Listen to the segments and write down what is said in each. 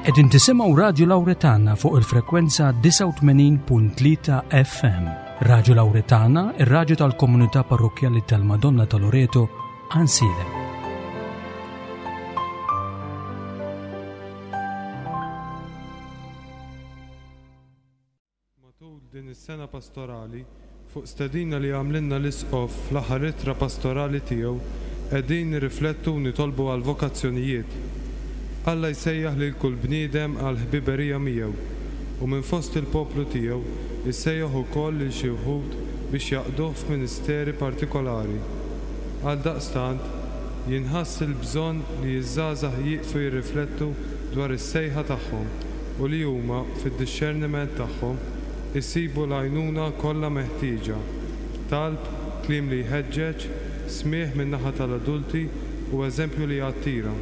Qegħdin tisimgħu Radju Lawretana fuq il-frekwenza 89.3 FM. Radju Lawretana, ir-radju tal-komunità parrokkjali tal-Madonna ta' Loreto, Ansilem. Matul din is-sena pastorali, fuq stedina li għamlilna l-Isqof fl-aħħar ittra pastorali tiegħu, qegħdin nirriflettu u nitolbu għall-vokazzjonijiet. Alla jsejjaħ lil kull bniedem għall-ħbiberija miegħu, u minn fost il-poplu tiegħu jsejjaħ ukoll lil xi wħud biex jaqduh f'ministeri partikolari. Għaldaqstant, jinħass il-bżonn li ż-żgħażagħ jieqfu jirriflettu dwar is-sejħa tagħhom u li huma, fid-dixxerniment tagħhom, isibu l-għajnuna kollha meħtieġa, talb, kliem li jħeġġeġ, smigħ min-naħa tal-adulti u eżempju li jattira.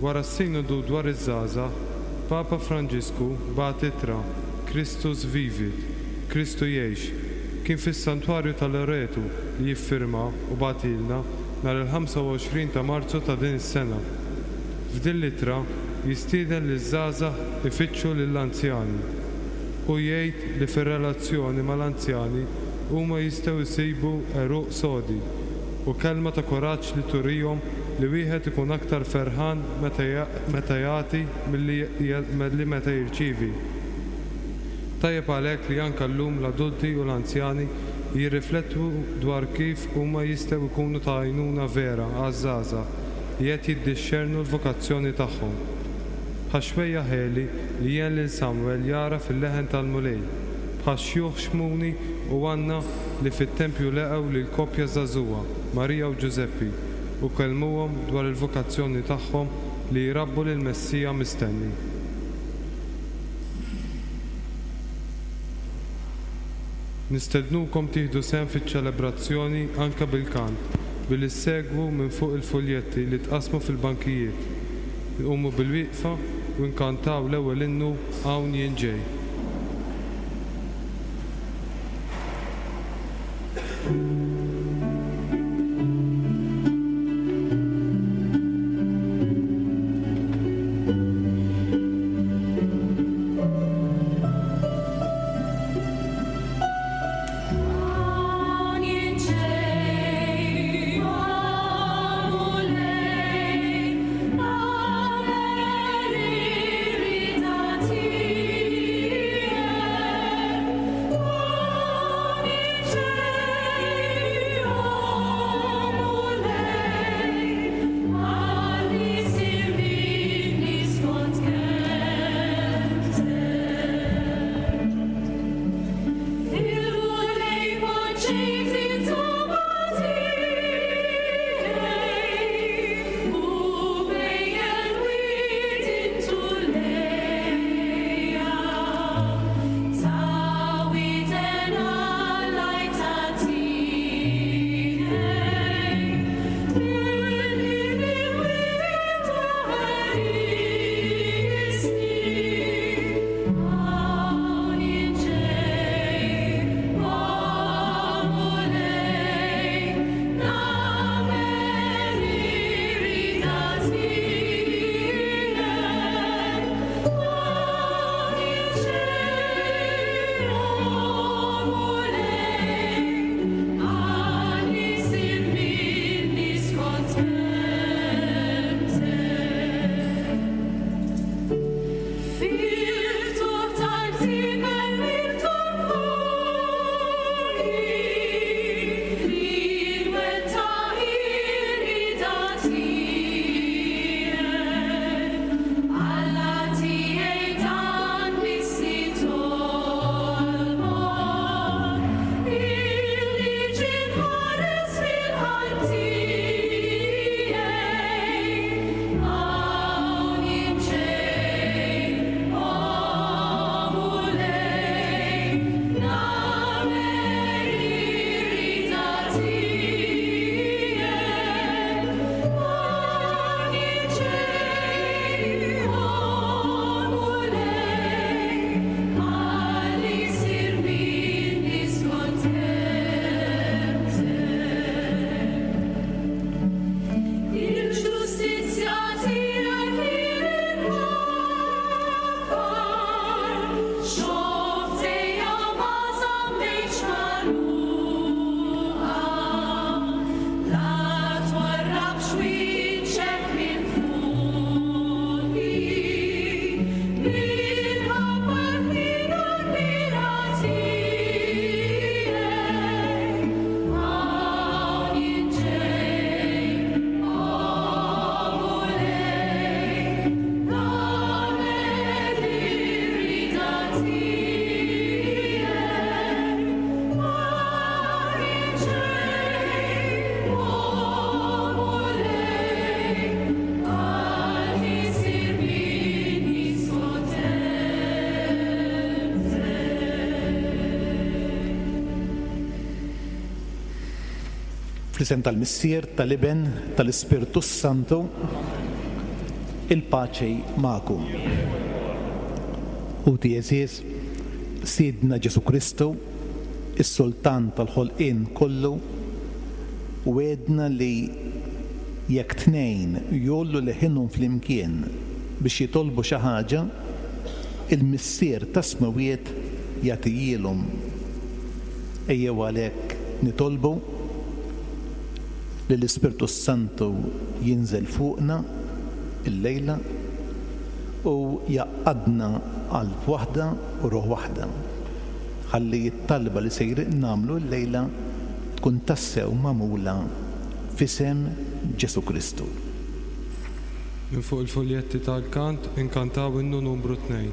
Wara s-Sinodu dwar iż-Żgħażagħ, Papa Franġisku bagħat ittra, Christus Vivit, Kristu Jgħix. Kien fis-Santwarju ta' Loretu li jiffirma u bagħtilna nhar il-25 ta' Marzu ta' din is-sena. F'din l-ittra jistieden liż-żgħażagħ ifittxu lill-anzjani. Hu jgħid li fir-relazzjoni mal-anzjani huma jistgħu jsibu għeruq sodi u kelma ta' kuraġġ li turihom li wieħed ikun aktar ferħan meta jagħti milli meta jirċievi. Tajjeb għalhekk li anke llum l-adulti u l-anzjani jirriflettu dwar kif huma jistgħu jkunu ta' għajnuna vera għaż-żgħażagħ li qed jiddixxernu l-vokazzjoni tagħhom. Bħax-xwejjaħ Għeli li għen lil Samwel jagħraf il-leħen tal-Mulej, bħax-xjuħ Xmuni u Anna li fit-tempju leqgħu lil koppja żagħżugħa, Marija u Ġużeppi, u kellmuhom dwar il-vokazzjoni tagħhom li jrabbu lill-Messija mistenni. Nistednukom tieħdu sehem fiċ-ċelebrazzjoni anke bil-kant, billi ssegwu minn fuq il-fuljetti li tqassmu fil-bankijiet. Nqumu bilwieqfa u nkantaw l-ewwel innu Hawn Jien Ġej. Fl-isem tal-Missier, tal-Iben, tal-Ispirtu s-Santu, il-paċi magħkom. Ħuti għeżież, Sidna Ġesù Kristu, is-Sultan tal-ħolqien kollu, wegħedna li jekk tnejn jgħollu leħinhom flimkien biex jitolbu xi ħaġa, il-Missier tas-Smewwiet jagħtihielhom. Ejjew għalhekk nitolbu li l-Ispirtu s-Santu jinżel fuqna llejla u jgħaqqadna qalb waħda u ruħ waħda, ħalli t-talba li sejrin nagħmlu llejla tkun tassew magħmula f'isem Ġesù Kristu. Minn fuq il-fuljetti tal-kant inkantaw innu numru tnejn.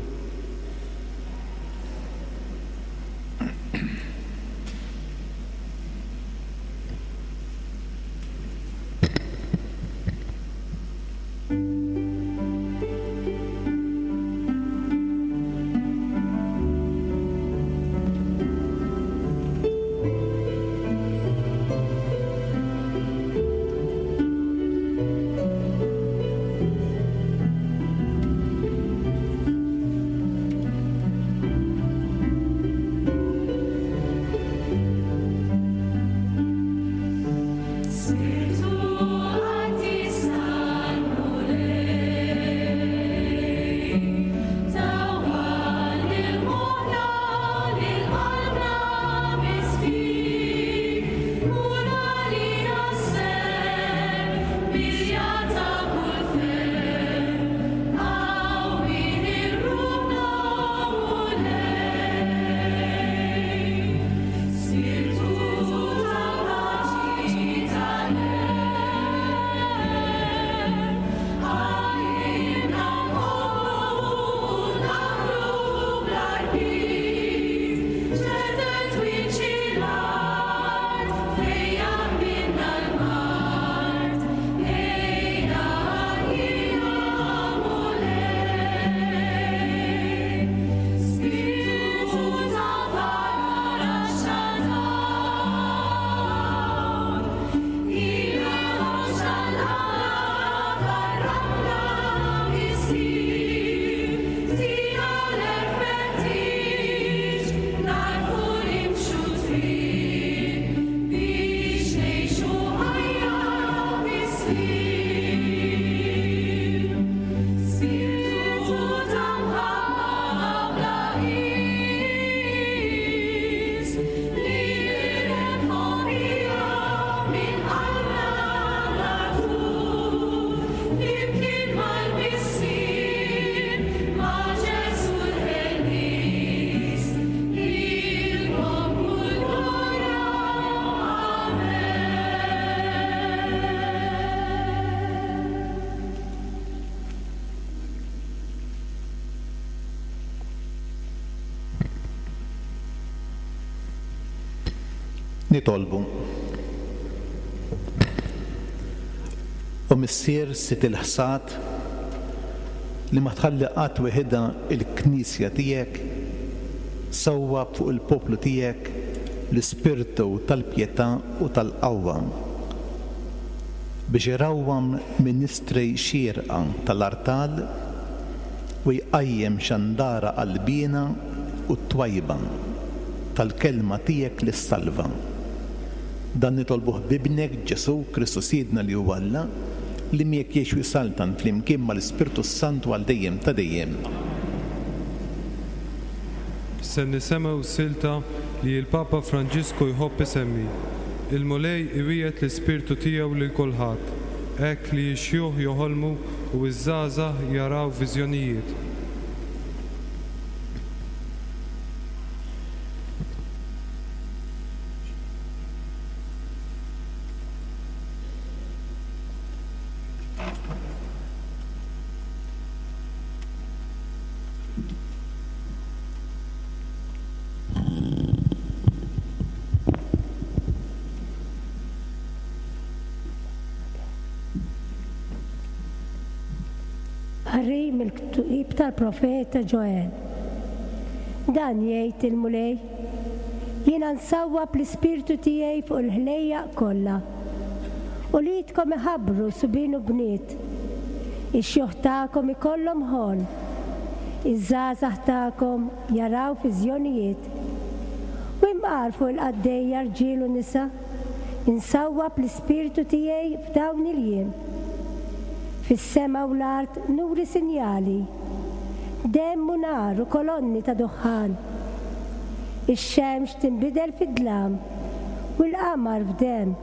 Nitolbu. O Missier Sid il-ħsad, li ma tħalli qatt weħidha l-Knisja tiegħek, sawwab fuq il-poplu tiegħek l-ispirtu tal-pjetà u tal-qawwa, biex irawwam ministri xierqa tal-artal u jqajjem xandara qalbiena u twajba tal-Kelma tiegħek li ssalva. Dan nitolbuh b'Ibnek Ġesù Kristu Sidna li hu Alla, li miegħek jgħix u jsaltan flimkien mal-Ispirtu s-Santu għal dejjem ta' dejjem. Se nisemgħu silta li l-Papa Franġisku jħobb isemmi, Il-Mulej iwiegħed l-Ispirtu tiegħu lil kulħadd, hekk li x-xjuħ joħolmu u ż-żgħażagħ jaraw viżjonijiet. Qari mill-ktieb tal-profeta Ġoel. Dan jgħid il-Mulej, Jiena nsawwab l-ispirtu tiegħi fuq il-ħlejjaq kollha. Uliedkom iħabbru subien u bniet. Ix-xjuħ tagħkom ikollhom ħolm. Iż-żgħażagħ tagħkom jaraw viżjonijiet. U imqar fuq il-qaddejja rġiel u nisa, insawwab l-Ispirtu tiegħi f'dawn il-jiem. Fis-sema u l-art nuri sinjali, demm u nar u kolonni ta' duħħan. Ix-xemx tinbidel fi dlam u l-qamar f'demm,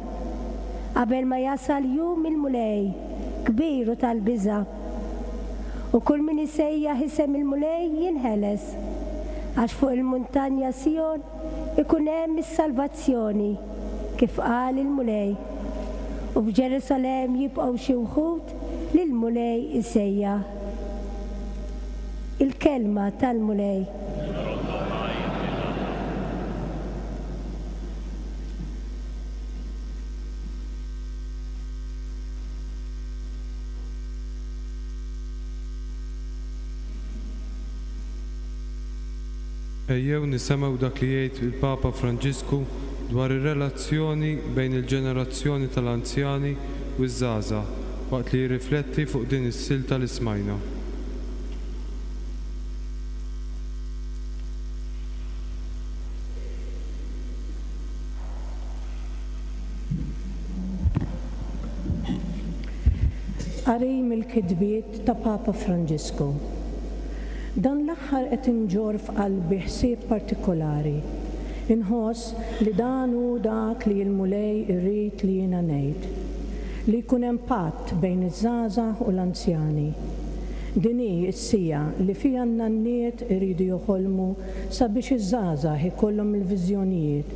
qabel ma jasal jum il-Mulej kbir u tal-biża'. U kull min isejjaħ isem il-Mulej jinħeles, għax fuq il-muntanja Sijon ikun hemm is-salvazzjoni, kif qal il-Mulej, u f'Ġerusalemm jibqgħu xi wħud li l-Mulej isejjaħ. Il-Kelma tal-Mulej. Ejjew nisemgħu dak li jgħid il-Papa Franġisku dwar ir-relazzjoni bejn il-ġenerazzjoni tal-anzjani u ż-żgħażagħ waqt li jirrifletti fuq din is-silta li smajna. Qari mill-kitbiet ta' Papa Franġisku. Dan l-aħħar qed inġorr f'qalbi ħsieb partikolari. Inħoss li dan hu dak li l-Mulej irid li jiena ngħid. Li jkun hemm patt bejn iż-żgħażagħ u l-anzjani. Din hi s-siegħa li fiha n-nanniet iridu joħolmu sabiex iż-żgħażagħ ikollhom il-viżjonijiet.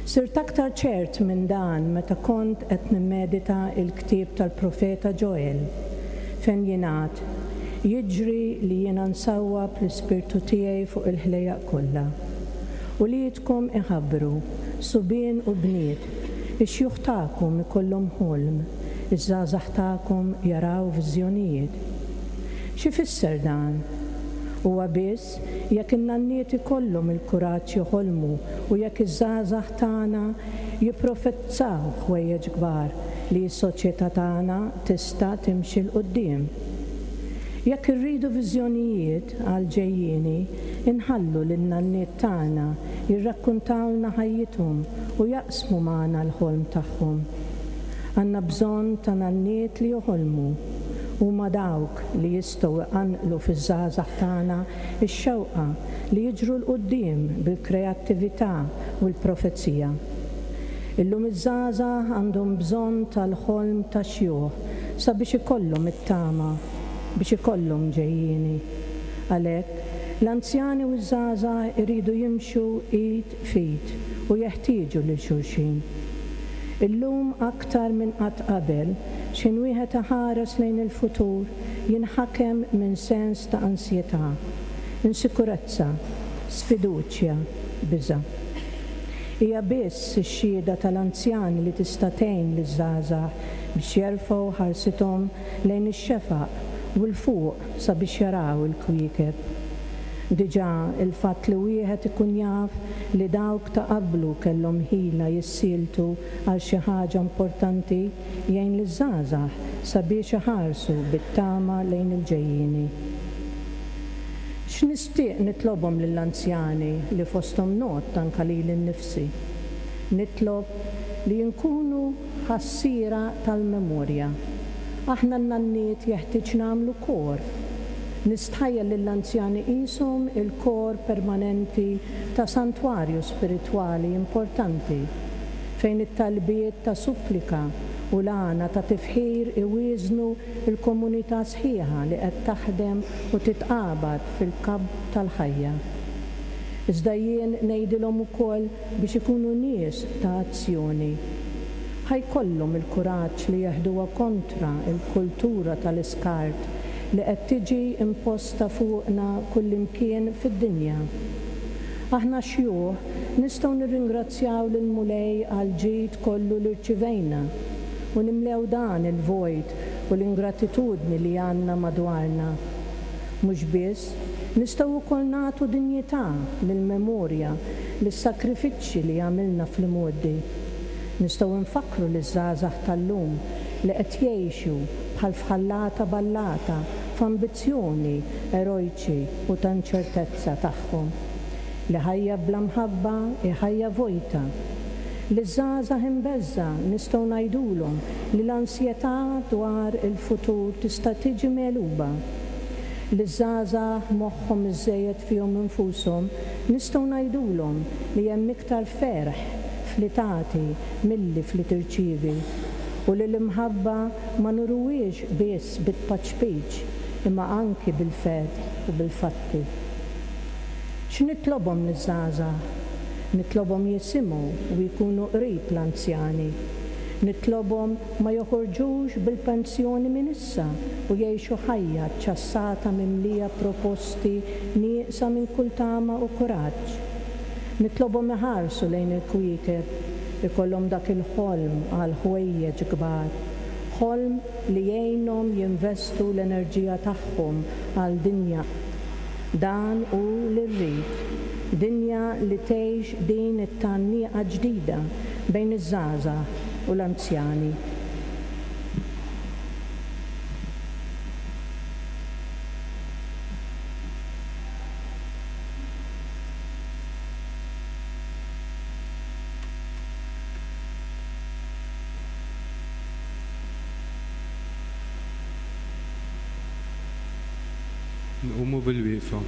Sirt aktar ċert minn dan meta kont qed nimmedita l-ktieb tal-profeta Ġoel, fejn jingħad, Jiġri li jiena nsawwab l-Ispirtu tiegħi fuq il-ħlejjaq kollha. Uliedkom iħabbru, subien u bniet, ix-xjuħ tagħkom ikollhom ħolm, iż-żgħażagħ tagħkom jaraw viżjonijiet. X'ifisser dan? Huwa biss Jekk in-nanniet ikollhom il-kuraġġ joħolmu u jekk iż-żgħażagħ tagħna jipprofezzaw ħwejjeġ kbar li s-soċjetà tagħna tista' timxi 'l quddiem. Jekk irridu viżjonijiet għall-ġejjieni, inħallu lin-nanniet tagħna jirrakkuntawlna ħajjithom u jaqsmu magħna l-ħolm tagħhom. Għandna bżonn ta' nanniet li joħolmu. Huma dawk li jistgħu jqanqlu fiż-żgħażagħ tagħna x-xewqa li jiġru 'l quddiem bil-kreattività u l-profezija. Illum iż-żgħażagħ għandhom bżonn tal-ħolm tax-xjuħ sabiex ikollhom it-tama, biex ikollhom ġejjieni. Għalhekk, l-anzjani u ż-żgħażagħ iridu jimxu id f'id u jeħtieġu lil xulxin. Illum aktar minn qatt qabel, x'ħin wieħed iħares lejn il-futur jinħakem minn sens ta' ansjetà, insikurezza, sfiduċja, biża'. Hija biss ix-xhieda tal-anzjani li tista' tgħin liż-żgħażagħ biex jerfgħu ħarsithom lejn ix-xefaq u 'l fuq sabiex jaraw il-kwiekeb. Diġà il-fatt li wieħed ikun jaf li dawk ta' qablu kellhom ħila jissieltu għal xi ħaġa importanti jgħin liż-żgħażagħ sabiex iħarsu bit-tama lejn il-ġejjieni. X'nistieq nitlobhom lill-anzjani li fosthom ngħodd anke lili nnifsi? Nitlob li nkunu ħassiera tal-memorja. Aħna n-nanniet jeħtieġ nagħmlu kor. Nistħajjel lill-anzjani qishom il-kor permanenti ta' santwarju spiritwali importanti, fejn it-talbiet ta' supplika u l-għana ta' tifħir iwieżnu l-komunità sħiħa li qed taħdem u titqabad fil-kabb tal-ħajja. Iżda jien ngħidilhom ukoll biex ikunu nies ta' azzjoni. Ħa jkollhom il-kuraġġ li jeħduha kontra l-kultura tal-iskart li qed tiġi imposta fuqna kullimkien fid-dinja. Aħna x-xjuħ nistgħu nirringrazzjaw lill-Mulej għall-ġid kollu li rċivejna u nimlew dan il-vojt u l-ingratitudni li għandna madwarna. Mhux biss, nistgħu wkoll nagħtu dinjità lill-memorja lis-sagrifiċċji li għamilna fl-imgħoddi. Nistgħu nfakkru liż-żgħażagħ tal-lum li qed jgħixu bħal f'ħallata ballata f'ambizzjoni erojċi u ta' inċertezza tagħhom, li ħajja bla mħabba hi ħajja vojta. Liż-żgħażagħ imbeżża' nistgħu ngħidulhom li l-ansjetà dwar il-futur tista' tiġi megħluba. Liż-żgħażagħ moħħhom iżżejjed fihom infushom nistgħu ngħidulhom li hemm iktar ferħ f'li tagħti milli f'li tirċievi, u li l-imħabba ma nuruhiex biss bit-tpaċpiċ imma anki bil-ferħ u bil-fatti. X'nitlobhom liż-żgħażagħ? Nitlobhom jisimgħu u jkunu qrib l-anzjani. Nitlobhom ma joħorġux bil-pensjoni minn issa u jgħixu ħajja ċċassata mimlija proposti nieqsa minn kull tama u kuraġġ. Nitlobhom iħarsu lejn il-kwiekeb, ikollhom dak il-ħolm għal ħwejjeġ kbar, ħolm li jgħinhom jinvestu l-enerġija tagħhom għal dinja Dan hu li rrid, dinja li tgħix din it-tgħanniqa ġdida bejn iż-żgħażagħ u l-anzjani. Nqumu bilwieqfa.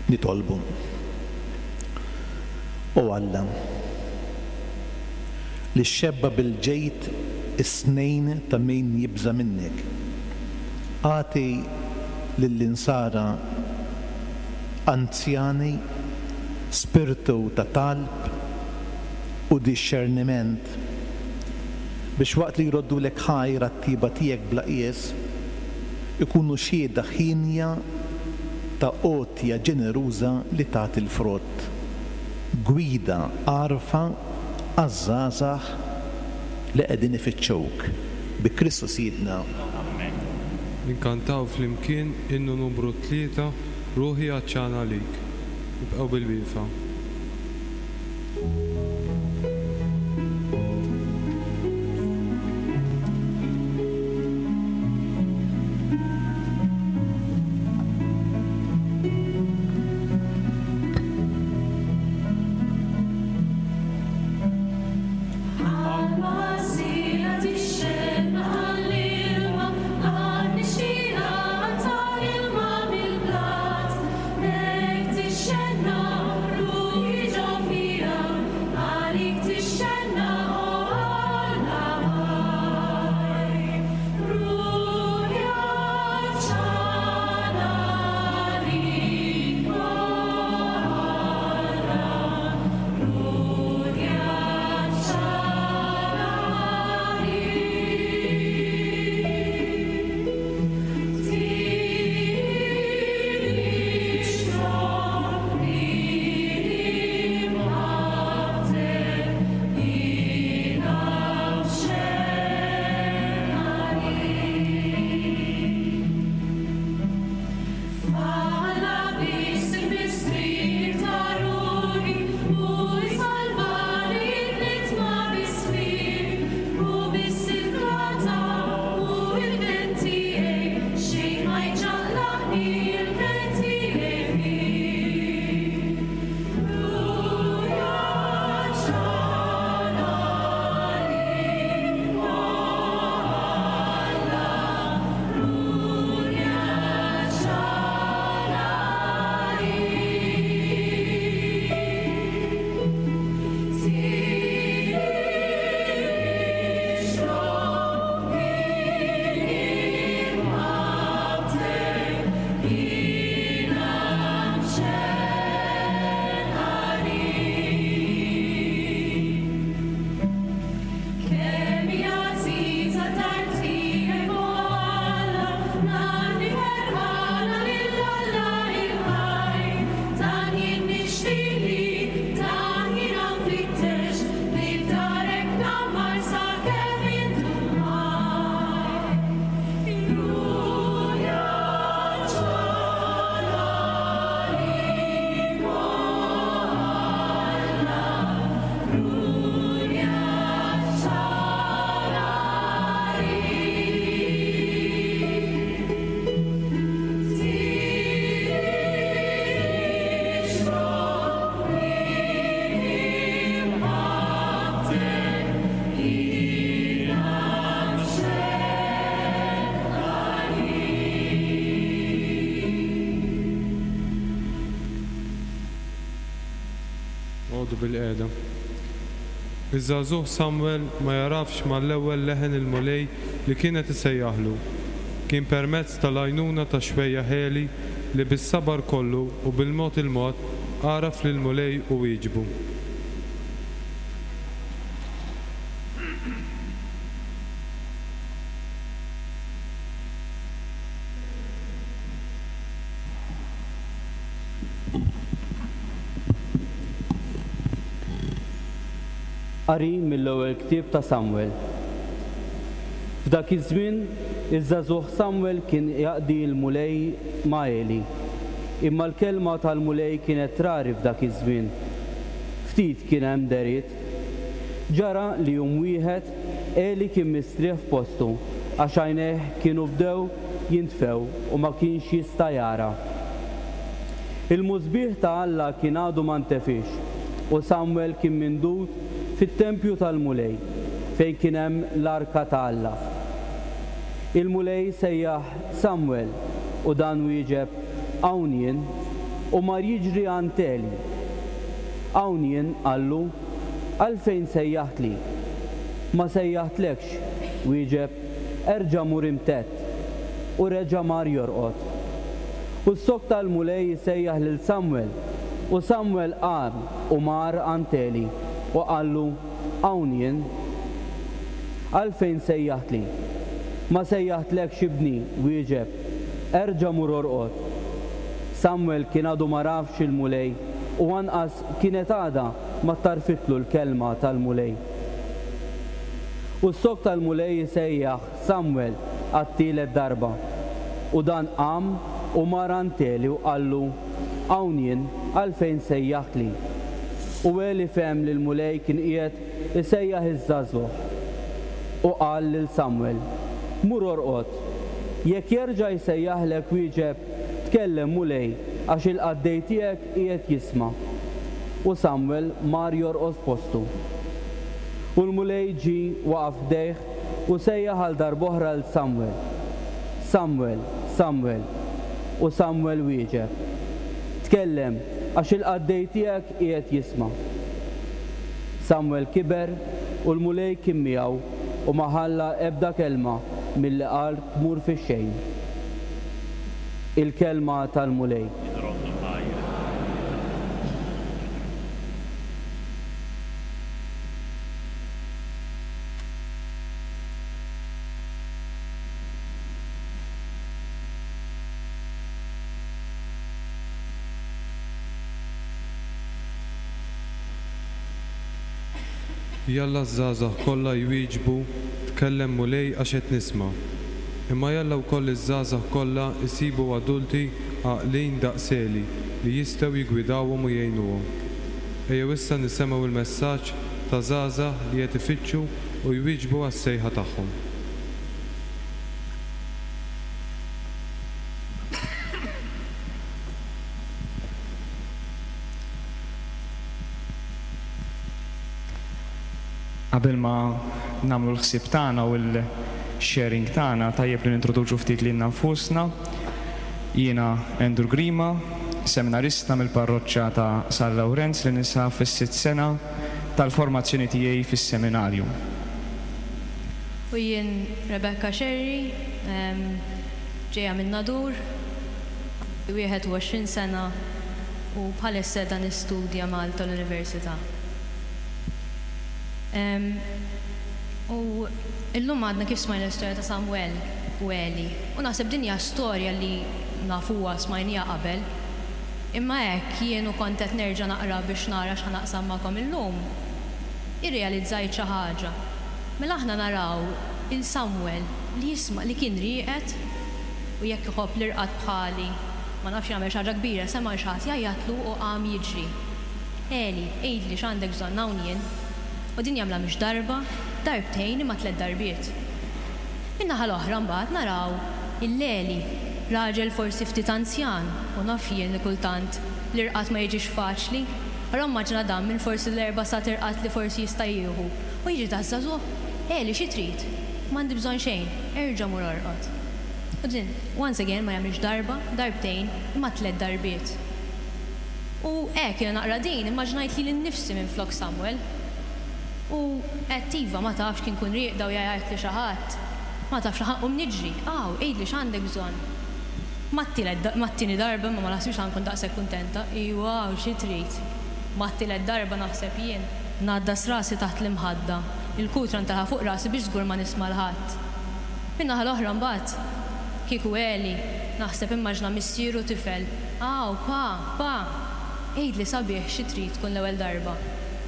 Nitolbu. O Alla, li xxebba' bil-ġid is-snejn ta' min jibża' minnek, agħti lill-insara anzjani spirtu ta' talb u dixxerniment, biex waqt li jroddulek ħajr għat-tjieba tiegħek bla qies, ikunu xhieda hienja ta' għotja ġeneruża li tagħti l-frott, gwida għarfa għaż-żgħażagħ li qegħdin ifittxuk. Bi Kristu Sidna. Amen. Inkantaw flimkien innu numru 3, Ruħi għatxana għalik. Ibqgħu bilwieqfa. bilqiegħda. Iż-żagħżugħ Samwel ma jagħrafx mal-ewwel leħen il-Mulej li kien qed isejjaħlu. Kien permezz tal-għajnuna ta' xwejjaħ Eli li bis-sabar kollu u bil-mod il-mod għaraf lill-Mulej u wieġbu. Qari mill-ewwel ktieb ta' Samwel. F'dak iż-żmien, iż-żagħżugħ Samwel kien jaqdi l-Mulej ma' Eli. Imma l-kelma tal-Mulej kienet rari f'dak iż-żmien. Ftit kien hemm dehriet. Ġara li jum wieħed, Eli kien mistrieħ f'postu, għax għajnejh kienu bdew jintfew u ma kienx jista' jara. Il-musbieħ ta' Alla kien għadu ma ntefiex, u Samwel kien mindud fit-tempju tal-Mulej, fejn kien hemm l-arka ta' Alla. Il-Mulej sejjaħ Samwel, u dan wieġeb, Hawn jien, u mar jiġri għand Eli. Hawn jien, qallu, għalfejn sejjaħtli? Ma sejjaħtlekx, wieġeb, erġa' mur imtedd. U reġa' mar jorqod. U ssokta l-Mulej isejjaħ lil Samwel, u Samwel qam u mar għand Eli, u qallu, Hawn jien. Għalfejn sejjaħtli? Ma sejjaħtlekx, ibni, wieġeb, erġa' mur orqod. Samwel kien għadu m'għarafx il-Mulej, u anqas kienet għadha ma tgħarrfitlu l-kelma tal-Mulej. U ssokta l-Mulej isejjaħ Samwel għat-tielet darba. U dan qam u mar għand Eli u qallu, Hawn jien, għalfejn sejjaħtli? U Eli fehem li l-Mulej kien qiegħed isejjaħ iż-żagħżugħ. U qal lil Samwel, Mur orqod. Jekk jerġa' jsejjaħlek wieġeb, Tkellem, Mulej, għax il-qaddej tiegħek qiegħed jisma'. U Samwel mar jorqod f'postu. U l-Mulej ġie waqaf ħdejh u sejjaħ għal darb'oħra 'l Samwel, Samwel, Samwel. U Samwel wieġeb, Tkellem, għax il-qaddej tiegħek qiegħed jisma'. Samwel kiber u l-Mulej kien miegħu u ma ħalla ebda kelma milli qal tmur fix-xejn. Il-Kelma tal-Mulej. Jalla ż-żgħażagħ kollha jwieġbu, Tkellem Mulej għax qed nisma'. Imma jalla wkoll iż-żgħażagħ kollha jsibu adulti għaqlin daqs Eli li jistgħu jiggwidawhom u jgħinuhom. Ejjew issa nisemgħu l-messaġġ ta' żgħażagħ li qed ifittxu u jwieġbu għas-sejħa tagħhom. Qabel ma nagħmlu l-ħsieb tagħna u l-sharing tagħna, tajjeb li nintroduċu ftit lilna nfusna. Jiena Andrew Grima, seminarista mill-parroċċa ta' San Lawrenz li ninsab fis-sitt sena tal-formazzjoni tiegħi fis-seminarju. U jien Rebecca Scerri, ġejja min-Nadur, 21 sena u bħalissa qiegħda nistudja Malta l-Università. U illum għadna kif smajna l-istorja ta' Samwel u Eli. U naħseb din hija storja li nafuha, smajniha qabel. Imma hekk jien u kont qed nerġa' naqra biex nara x'ħa naqsam magħkom illum, irrealizzajt xi ħaġa. Mela aħna naraw 'il Samwel li jisma' li kien rieqed u jekk iħobb l-irqad bħali, ma nafx jagħmel xi ħaġa kbira, sema' 'l xi ħadd jgħajjatlu u qam jiġri. Eli, għidli x'għandek bżonn hawn jien. U din jagħmilha mhix darba, darbtejn imma tlett darbiet. Min-naħa l-oħra mbagħad naraw 'il Eli, raġel forsi ftit anzjan u naf jien li kultant l-irqad ma jiġix faċli, però immaġina dan minn forsi l-erba' sagħat irqad li forsi jista' jieħu u jiġi daż-żagħżugħ, Eli xi trid? M'għandi bżonn xejn, erġa' mur orqod. U din, once again, ma jagħmilx darba, darbtejn, imma tlett darbiet. U hekk jiena naqra din, immaġinajt lili nnifsi minflok Samuel. U għedt iva, ma tafx kien nkun rieqda u jgħajjatli xi ħadd. Ma tafx laħaq nqum niġri. Aw, għidli x'għandek bżonn. Mat-tielet, mat-tieni darba imma ma naħsibx ħa nkun daqshekk kuntenta. Iwa, u xi trid? Mat-tielet darba naħseb jien. Ngħaddas rasi taħt l-imħadda, il-kutra ntelgħa fuq rasi biex żgur ma nisma' 'l ħadd. Min-naħa l-oħra mbagħad, kieku Eli, naħseb immaġna missier u tifel, Aw, pa, pa! Għidli sabiħ xi trid tkun l-ewwel darba.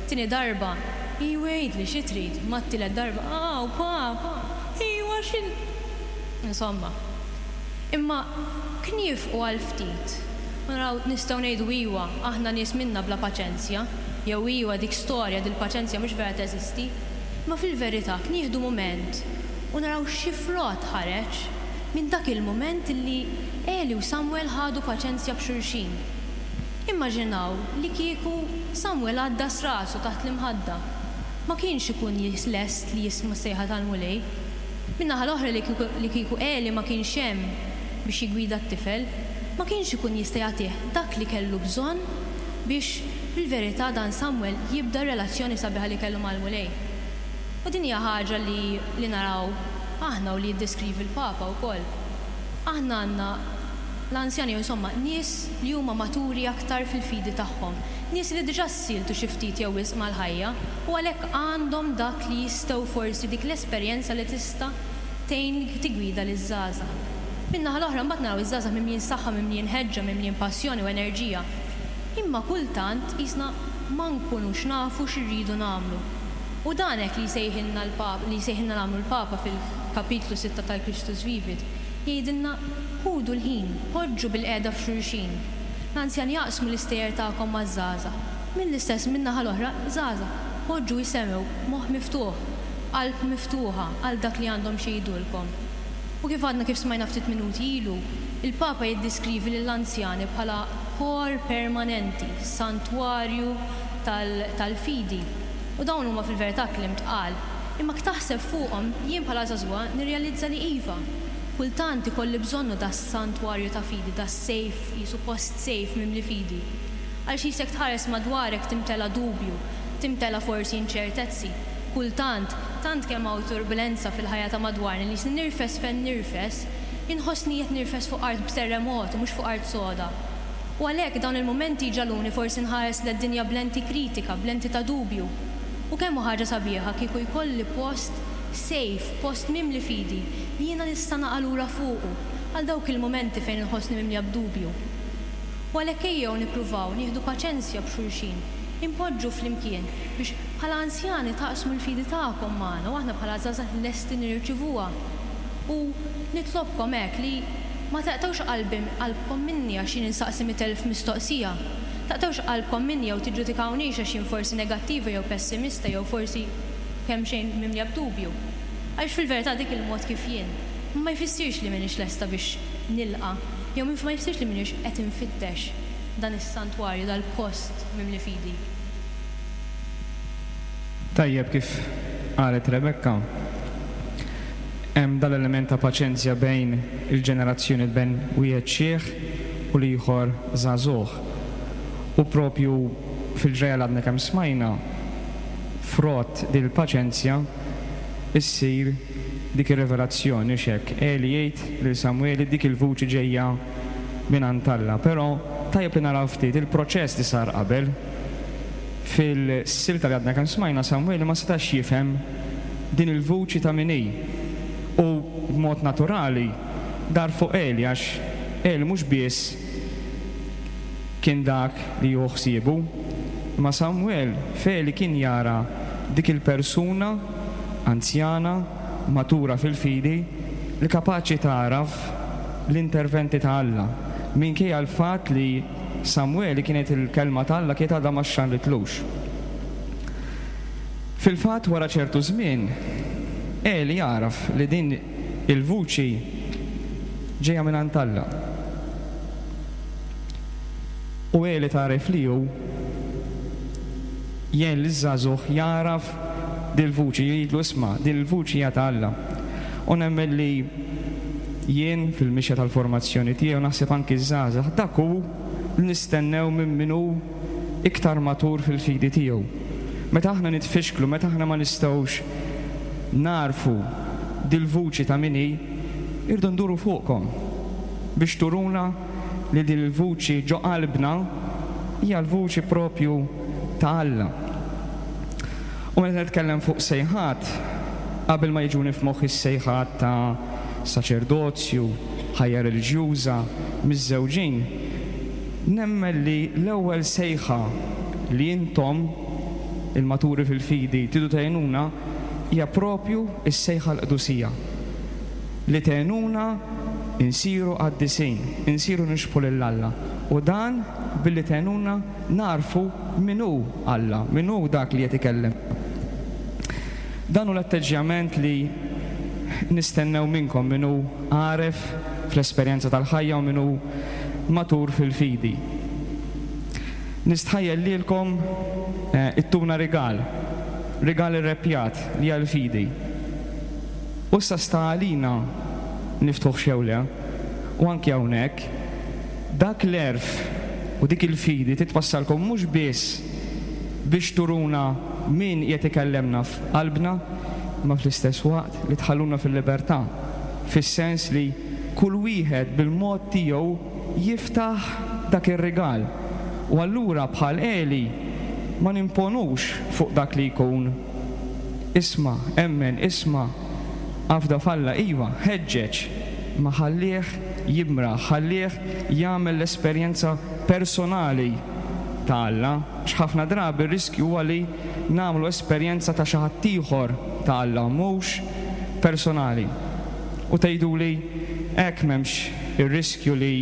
Tieni darba, Iwa għidli xi trid, mat-tielet darba, Aw, pa, pa, iwa xi. Insomma. Imma kniefqu għal ftit u naraw nistgħu ngħidu iwa, aħna nies minna bla paċenzja, jew iwa dik storja dil-paċenzja mhux vera teżisti. Imma fil-verità knieħdu mument u naraw xi frott ħareġ minn dak il-mument li Eli u Samwel ħadu paċenzja b'xulxin. Immaġinaw li kieku Samwel għaddas rasu taħt l-imħadda. Ma kienx ikun lest li jisma' s-sejħa tal-Mulej. Min-naħa l-oħra li kieku li kieku Eli ma kienx hemm biex jiggwida t-tifel, ma kienx ikun jista' jagħtih dak li kellu bżonn biex fil-verità dan Samwel jibda r-relazzjoni sabiħa li kellu mal-Mulej. U din hija ħaġa li li naraw aħna u li jiddeskrivi l-Papa wkoll. Aħna għandna l-anzjani jew insomma nies li huma maturi aktar fil-fidi tagħhom, nies li diġà ssieltu xi ftit jew wisq mal-ħajja u għalhekk għandhom dak li jistgħu forsi dik l-esperjenza li tista' tgħin tiggwida liż-żgħażagħ. Min-naħa l-oħra mbagħad naraw iż-żgħażagħ mimlijin saħħa, mimlijin ħeġġa, mimlijin passjoni u enerġija. Imma kultant qisna ma nkunux nafu x'irridu nagħmlu. U dan hekk li jsejħilna l-Papa, li jsejħilna nagħmlu l-Papa fil-kapitlu sitta tal-Christus Vivit. Jgħidilna, Ħudu l-ħin, poġġu bilqiegħda f'xulxin. L-anzjani aqsmu l-istejjer tagħkom maż-żgħażagħ. Mill-istess min-naħa l-oħra, żgħażagħ, poġġu isemgħu b'moħħ miftuħ, b'qalb miftuħa għal dak li għandhom xi jgħidulkom. U kif għadna kif smajna ftit minuti ilu, il-Papa jiddiskrivi lill-anzjani bħala kor permanenti, santwarju tal-fidi. U dawn huma fil-verità kliem tqal. Imma ktaħseb fuqhom, jien bħala żagħżugħa nirrealizza li iva, kultant ikolli bżonnu das-santwarju ta' fidi, das-safe, qisu post safe mimli fidi. Għaliex qisek tħares madwarek timtela dubju, timtela forsi inċertezzi. Kultant, tant kemm hawn turbulenza fil-ħajja ta' madwarna li qisni nirfes fejn nirfes, inħossni qed nirfes fuq art b'terremot u mhux fuq art soda. U għalhekk dawn il-mumenti jġagħluni forsi nħares led-dinja b'lenti kritika, b'lenti ta' dubju. U kemm hu ħaġa sabiħa kieku jkolli post safe, post mimli fidi, li jiena nista' naqa' lura fuqu għal dawk il-mumenti fejn inħossni mimlija b'dubju. U għalhekk ejjew nippruvaw nieħdu paċenzja b'xulxin, inpoġġu flimkien biex bħala anzjani taqsmu l-fidi tagħkom magħna u aħna bħala żgħażagħ lesti nirċivuha. U nitlobkom hekk li ma taqtgħux qalbi qalbkom minni għax jien insaqsi 100,000 mistoqsija. Taqtgħux qalbkom minni jew tiġġudikawnix għax jien forsi negattiva jew pessimista jew forsi kemxejn mimlija b'dubju. Għaliex fil-verità dik il-mod kif jien. Ma jfissirx li m'iniex lesta biex nilqa' jew ma jfissirx li m'iniex qed infittex dan is-santwarju, dal-post mimli fidi. Tajjeb kif qalet Rebecca, hemm dal-element ta' paċenzja bejn il-ġenerazzjoni bejn wieħed xiħ u l-ieħor żagħżugħ. U propju fil-ġrajja li għadna kemm smajna, frott din il-paċenzja issir dik ir-rivelazzjoni, hux hekk? Eli jgħid lil Samweli dik il-vuċi ġejja mingħand Alla. Però tajjeb li naraw ftit il-proċess li sar qabel. Fil-silta li għadna kemm smajna, Samweli ma setax jifhem din il-vuċi ta' min hi. U b'mod naturali dar fuq Eli għax Eli mhux biss kien dak li jieħu ħsiebu, imma Samwel f'Eli kien jara dik il-persuna anzjana, matura fil-fidi, li kapaċi tagħraf l-interventi ta' Alla, minkejja l-fatt li Samweli kienet il-kelma ta' Alla kienet għadha ma xxanritlux. Fil-fatt wara ċertu żmien, Eli għaraf li din il-vuċi ġejja mingħand Alla. U Eli tagħrif li hu jgħin liż-żagħżugħ jagħraf dil-vuċi, jgħidlu isma' din il-vuċi hija ta' Alla. U nemmen li jien fil-mixja tal-formazzjoni tiegħi u naħseb anki ż-żgħażagħ dak hu. li nistennew minn min hu iktar matur fil-fidi tiegħu. Meta aħna nitfixklu, meta aħna ma nistgħux nagħrfu dil-vuċi ta' min hi, irridu nduru fuqkom biex turuna li din il-vuċi ġo qalbna hija l-vuċi propju ta' Alla. U meta nitkellem fuq sejħat, qabel ma jiġuni f'moħħi s-sejħat ta' saċerdozju, ħajja reliġjuża, miżżewġin, nemmen li l-ewwel sejħa li intom, il-maturi fil-fidi, tridu tgħinuna hija propju s-sejħa għall-qdusija. Li tgħinuna nsiru qaddisin, insiru nixbħu lil Alla, u dan billi tgħinuna nagħrfu min hu Alla, min hu dak li qed ikellem. Dan hu l-atteġġjament li nistennew minnkom, min hu għaref fl-esperjenza tal-ħajja u min hu matur fil-fidi. Nistħajjel lilkom ittuna rigal, rigal irreppjat li hija l-fidi. U issa sta għalina niftħuh jew le. U anki hawnhekk, dak l-għerf u dik il-fidi titwassalkom mhux biss biex turuna min qiegħed ikellemna f'qalbna, imma fl-istess waqt li tħalluna fil-libertà, fis-sens li kull wieħed bil-mod tiegħu jiftaħ dak ir-rigal. U allura bħal Eli ma nimponux fuq dak li jkun. Isma', emmen, isma', afda f'Alla, iva, ħeġġeġ, imma ħallih jimraħ, ħallih jagħmel l-esperjenza personali ta' Alla, għax ħafna drabi r-riskju huwa li nagħmlu esperjenza ta' xi ħaddieħor ta' Alla, mhux personali. U tgħiduli, hekk m'hemmx ir-riskju li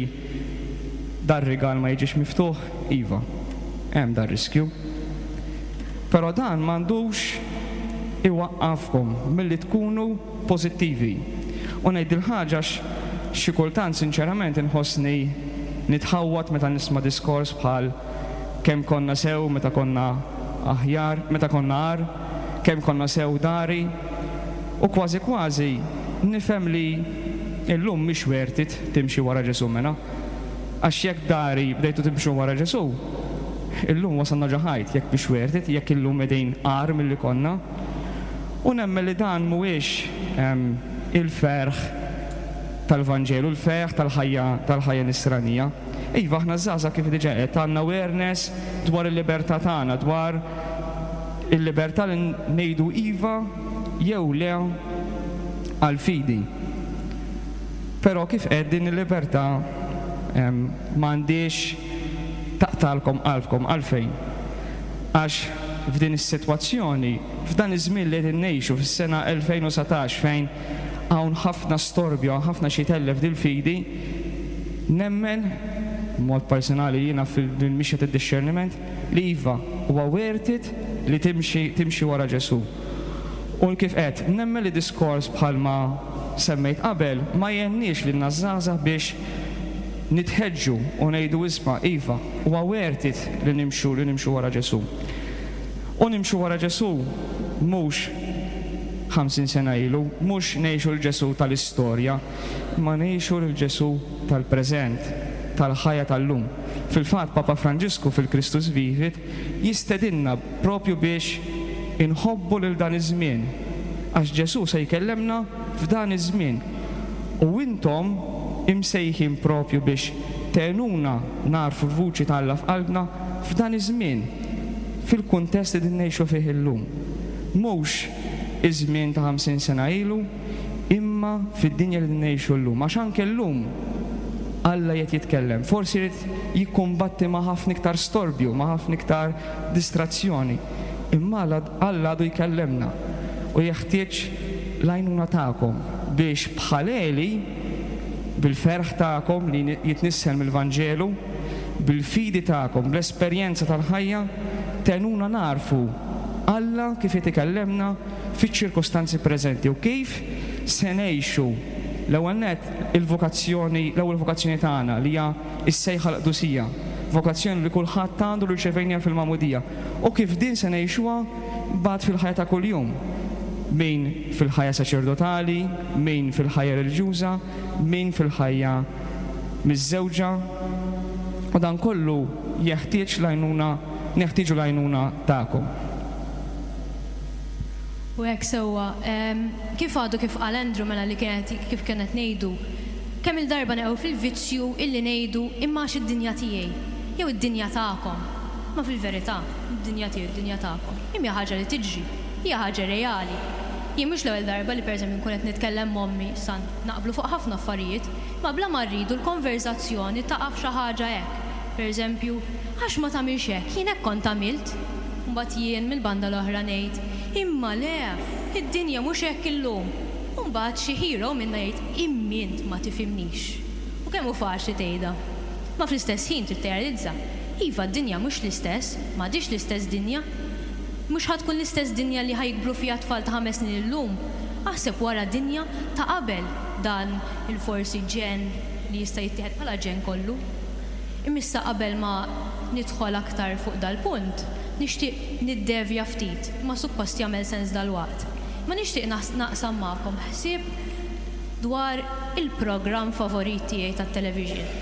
dar-rigal ma jiġix miftuħ? Iva, hemm dar-riskju. Però dan m'għandux iwaqqafkom milli tkunu pożittivi. U ngħid dil-ħaġa għax xi kultant sinċerament inħossni nitħawwad meta nisma' diskors bħal kemm konna sew meta konna aħjar, meta konna agħar, kemm konna sew dari, u kważi kważi nifhem li illum mhix worth it timxi wara Ġesù mela. Għax jekk dari bdejtu timxu wara Ġesù, illum wasalna ġo ħajt, jekk mhix worth it, jekk illum qegħdin agħar milli konna. U nemmen li dan mhuwiex il-ferħ tal-Vanġelu, il-ferħ tal-ħajja tal-ħajja nisranija. Iva, aħna ż-żgħażagħ kif diġà għedt għandna awareness dwar il-libertà tagħna, dwar il-libertà li ngħidu iva jew le għall-fidi. Però kif għedt din il-libertà m'għandhiex taqtagħlkom qalbkom. Għalfejn? Għax f'din is-sitwazzjoni, f'dan iż-żmien li qegħdin ngħixu fis-sena 2019 fejn hawn ħafna storbju, hawn ħafna xi jtellef dil-fidi, nemmen, b'mod personali jiena fil-mixja tad-dixxerniment, li iva, huwa worth it li timxi timxi wara Ġesù. U kif għedt, nemmen li diskors bħalma semmejt qabel ma jgħinniex lilna ż-żgħażagħ biex nitħeġġu u ngħidu isma' iva, huwa worth it li nimxu li nimxu wara Ġesù. U nimxu wara Ġesù mhux 50 sena ilu, mhux ngħixu 'l Ġesù tal-istorja, imma ngħixu lil Ġesù tal-preżent, tal-ħajja tal-lum. Fil-fatt Papa Franġisku fil-Christus Vivit jistedinna propju biex inħobbu lil dan iż-żmien, għax Ġesù se jkellemna f'dan iż-żmien. U intom imsejħin propju biex tgħinuna nagħrfu l-vuċi ta' Alla f'qalbna f'dan iż-żmien, fil-kuntest li qegħdin ngħixu fih illum. Mhux iż-żmien ta' 50 sena ilu, imma fid-dinja li qegħdin ngħixu llum. Għax anke llum Alla qiegħed jitkellem. Forsi jrid jikkumbatti ma' ħafna iktar storbju, ma' ħafna iktar distrazzjoni. Imma Alla għadu jkellemna u jeħtieġ l-għajnuna tagħkom biex bħal Eli, bil-ferħ tagħkom li jitnissel mill-Vanġelu, bil-fidi tagħkom, bl-esperjenza tal-ħajja, tgħinuna nagħrfu Alla kif qed ikellemna fiċ-ċirkustanzi preżenti u kif se ngħixu l-ewwel nett il-vokazzjoni, l-ewwel vokazzjoni tagħna li hija s-sejħa għall-qdusija, vokazzjoni li kulħadd għandu li rċevejniha fil-magħmudija, u kif din se ngħixuha mbagħad fil-ħajja ta' kuljum, min fil-ħajja saċerdotali, min fil-ħajja reliġjuża, min fil-ħajja miżżewġa. U dan kollu jeħtieġ l-għajnuna, neħtieġu l-għajnuna tagħkom. U hekk sewwa. Kif għadu kif qal Andrew mela li kienet kif kien qed ngħidu, kemm-il darba neqgħu fil-vizzju illi ngħidu imma għax id-dinja tiegħi, jew id-dinja tagħkom. Imma fil-verità, id-dinja tiegħi u d-dinja tagħkom, imma hija ħaġa li tiġri, hija ħaġa reali. Jien mhux l-ewwel darba li pereżempju nkun qed nitkellem m'ommi, issa naqblu fuq ħafna affarijiet, imma bla ma rridu l-konverżazzjoni taqa' f'xi ħaġa hekk. Pereżempju, għax ma tagħmilx hekk, jien hekk kont għamilt. Mbagħad jien mill-banda l-oħra ngħid, imma le, id-dinja mhux hekk illum. U mbagħad xi hero minna jgħid, imma int ma tifhimnix. U kemm hu faċli tgħidha. Ma fl-istess ħin trid tirrealizza, iva d-dinja mhux l-istess, m'għadhiex l-istess dinja. Mhux ħa tkun l-istess dinja li ħa jikbru fiha tfal ta' ħames snin illum. Aħseb wara dinja ta' qabel dan il-forsi ġenn li jista' jittieħed bħala ġenn kollu. Imma issa qabel ma nidħol aktar fuq dal-punt, nixtieq niddevja ftit, imma suppost jagħmel sens dalwaqt. Imma nixtieq naqsam magħkom ħsieb dwar il-programm favorit tiegħi tat-television.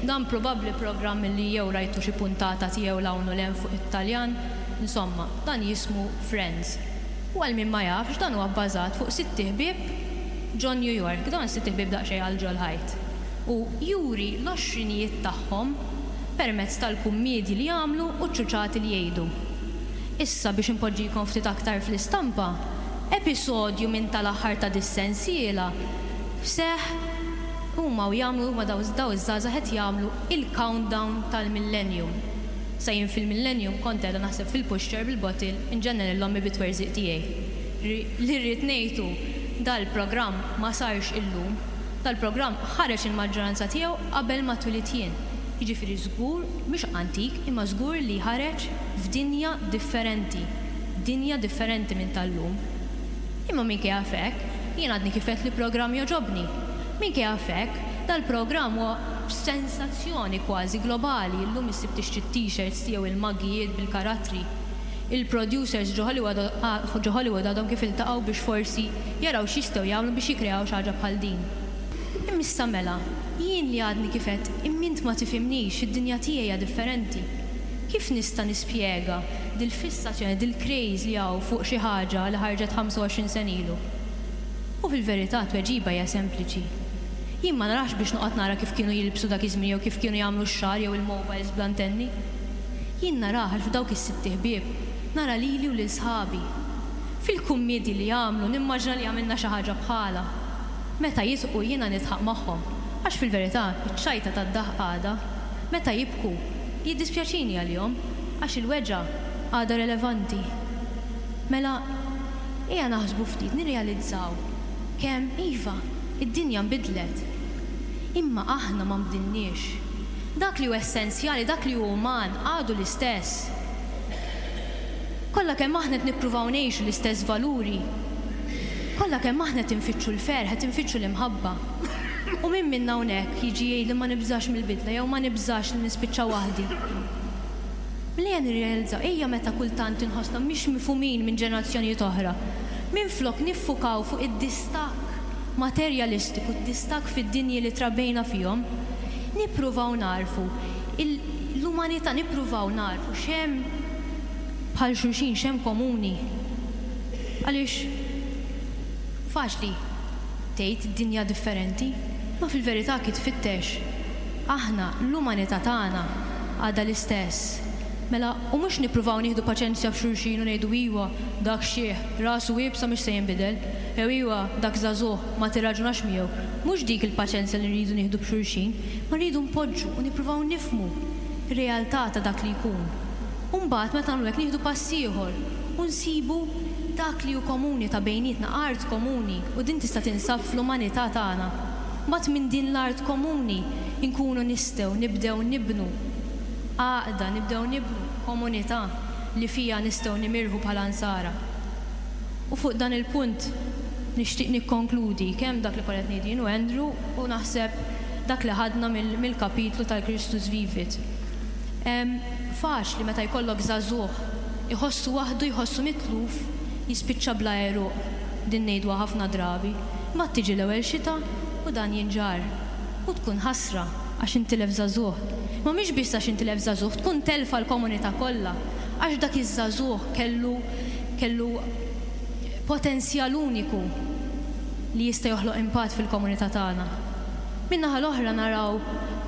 Dan probabbli programm li jew rajtu xi puntata tiegħu 'l hawn u 'l hemm fuq it-Taljan, insomma, dan jismu Friends. U għal min ma jafx, dan huwa bbażat fuq sitt iħbieb ġo New York. Dawn is-sitt iħbieb daqsxejn għal ġol-ħajt. U juri l-għoxrinijiet tagħhom permezz tal-kummiedji li jagħmlu u ċ-ċuċati li jgħidu. Issa biex inpoġġikom ftit aktar fl-istampa, episodju minn tal-aħħar ta' dis-sensiela seħħ huma u jagħmlu huma daw daw iż-żgħażagħ qed jagħmlu il-countdown tal-millennium. Sa jien fil-millennium kont qiegħda naħseb fil-pushchair bil-bottle inġennen lil ommi bit-twerżiq tiegħi. Li rrid ngħid hu dal-programm ma sarx illum. Dal-programm ħareġ il-maġġoranza tiegħu qabel ma twilidt jien. Jiġifieri żgur, mhux antik, imma żgur li ħareġ f'dinja differenti. Dinja differenti minn tal-lum. Imma minkejja f'hekk, jien għadni kif għedt li programm jogħġobni. Minkejja f'hekk, dal-programm huwa sensazzjoni kważi globali, illum issib tixtri t-t-shirts tiegħu, il-maggijiet bil-karattri. Il-producers ġo Hollywood ġo Hollywood għadhom kif iltaqgħu biex forsi jaraw x'jistgħu jagħmlu biex jikkreaw xi ħaġa bħal din. Imma issa mela, jien li għadni kif għedt imma int ma tifhimnix, id-dinja tiegħi hija differenti. Kif nista' nispjega dil-fissazzjoni, dil-craze li hawn fuq xi ħaġa li ħarġet 25 sena ilu? U fil-verità t-tweġiba hija sempliċi. Jien ma narax biex noqgħod nara kif kienu jilbsu dak iż-żmien jew kif kienu jagħmlu x-xagħar jew il-mobiles bl-antenni. Jien narah għax f'dawk is-sitt iħbieb nara lili u lil sħabi. Fil-kummiedji li jagħmlu nimmaġina li għamilna xi ħaġa bħalha. Meta jidħqu jiena nidħaq magħhom, għax fil-verità iċ-ċajta tad-daħq għadha. Meta jibku, jiddispjaċini għalihom, għax il-weġgħa għadha relevanti. Mela, ejja naħsbu ftit, nirrealizzaw kemm, iva, id-dinja nbidlet. Imma aħna ma nbdilniex. Dak li hu essenzjali, dak li hu uman, għadu l-istess. Kollha kemm aħna qed nippruvaw ngħixu l-istess valuri. Kollha kemm aħna qed infittxu l-ferħ, qed infittxu l-imħabba. U min minna hawnhekk jiġi jgħidli ma nibżax mill-bidla jew ma nibżax li nispiċċa waħdi? Mela ejja nirrealizzaw, ejja meta kultant inħossna mhix mifhumin minn ġenerazzjonijiet oħra, minflok niffukaw fuq id-distakk materjalistiku, d-distakk fid-dinji li trabbejna fihom, nippruvaw nagħrfu l-umanità, nippruvaw nagħrfu x'hemm bħal xulxin, x'hemm komuni. Għaliex faċli tgħid dinja differenti, imma fil-verità kif tfittex, aħna l-umanità tagħna għadha l-istess. Mela, u mhux nippruvaw nieħdu paċenzja f'xulxin u ngħidu iwa, dak xiħ, rasu iebsa mhux se jinbidel, jew iwa, dak żagħżugħ, ma tirraġunax miegħu. Mhux dik il-paċenzja li rridu nieħdu b'xulxin, imma rridu npoġġu u nippruvaw nifhmu r-realtà ta' dak li jkun. U mbagħad meta nagħmlu hekk nieħdu pass ieħor u nsibu dak li hu komuni ta' bejnietna, art komuni, u din tista' tinsab fl-umanità tagħna. Mbagħad minn din l-art komuni nkunu nistgħu nibdew nibnu għaqda, nibdew nibnu komunità li fiha nistgħu nimirħu bħala Nsara. U fuq dan il-punt nixtieq nikkonkludi kemm dak li konna qed ngħidu jien u Andrew u naħseb dak li ħadna mill-kapitlu tal-Christus Vivit. Faċli meta jkollok żagħżugħ iħossu waħdu, jħossu mitluf, jispiċċa bla għeruq. Din ngħiduha ħafna drabi. Imbagħad tiġi l-ewwel xita u dan jinġarr. U tkun ħasra għax intilef żagħżugħ. Imma mhix biss għax intilef żagħżugħ, tkun telfa l-komunità kollha. Għax dak iż-żagħżugħ kellu kellu potenzjal uniku li jista' joħloq impatt fil-komunità tagħna. Min-naħa l-oħra naraw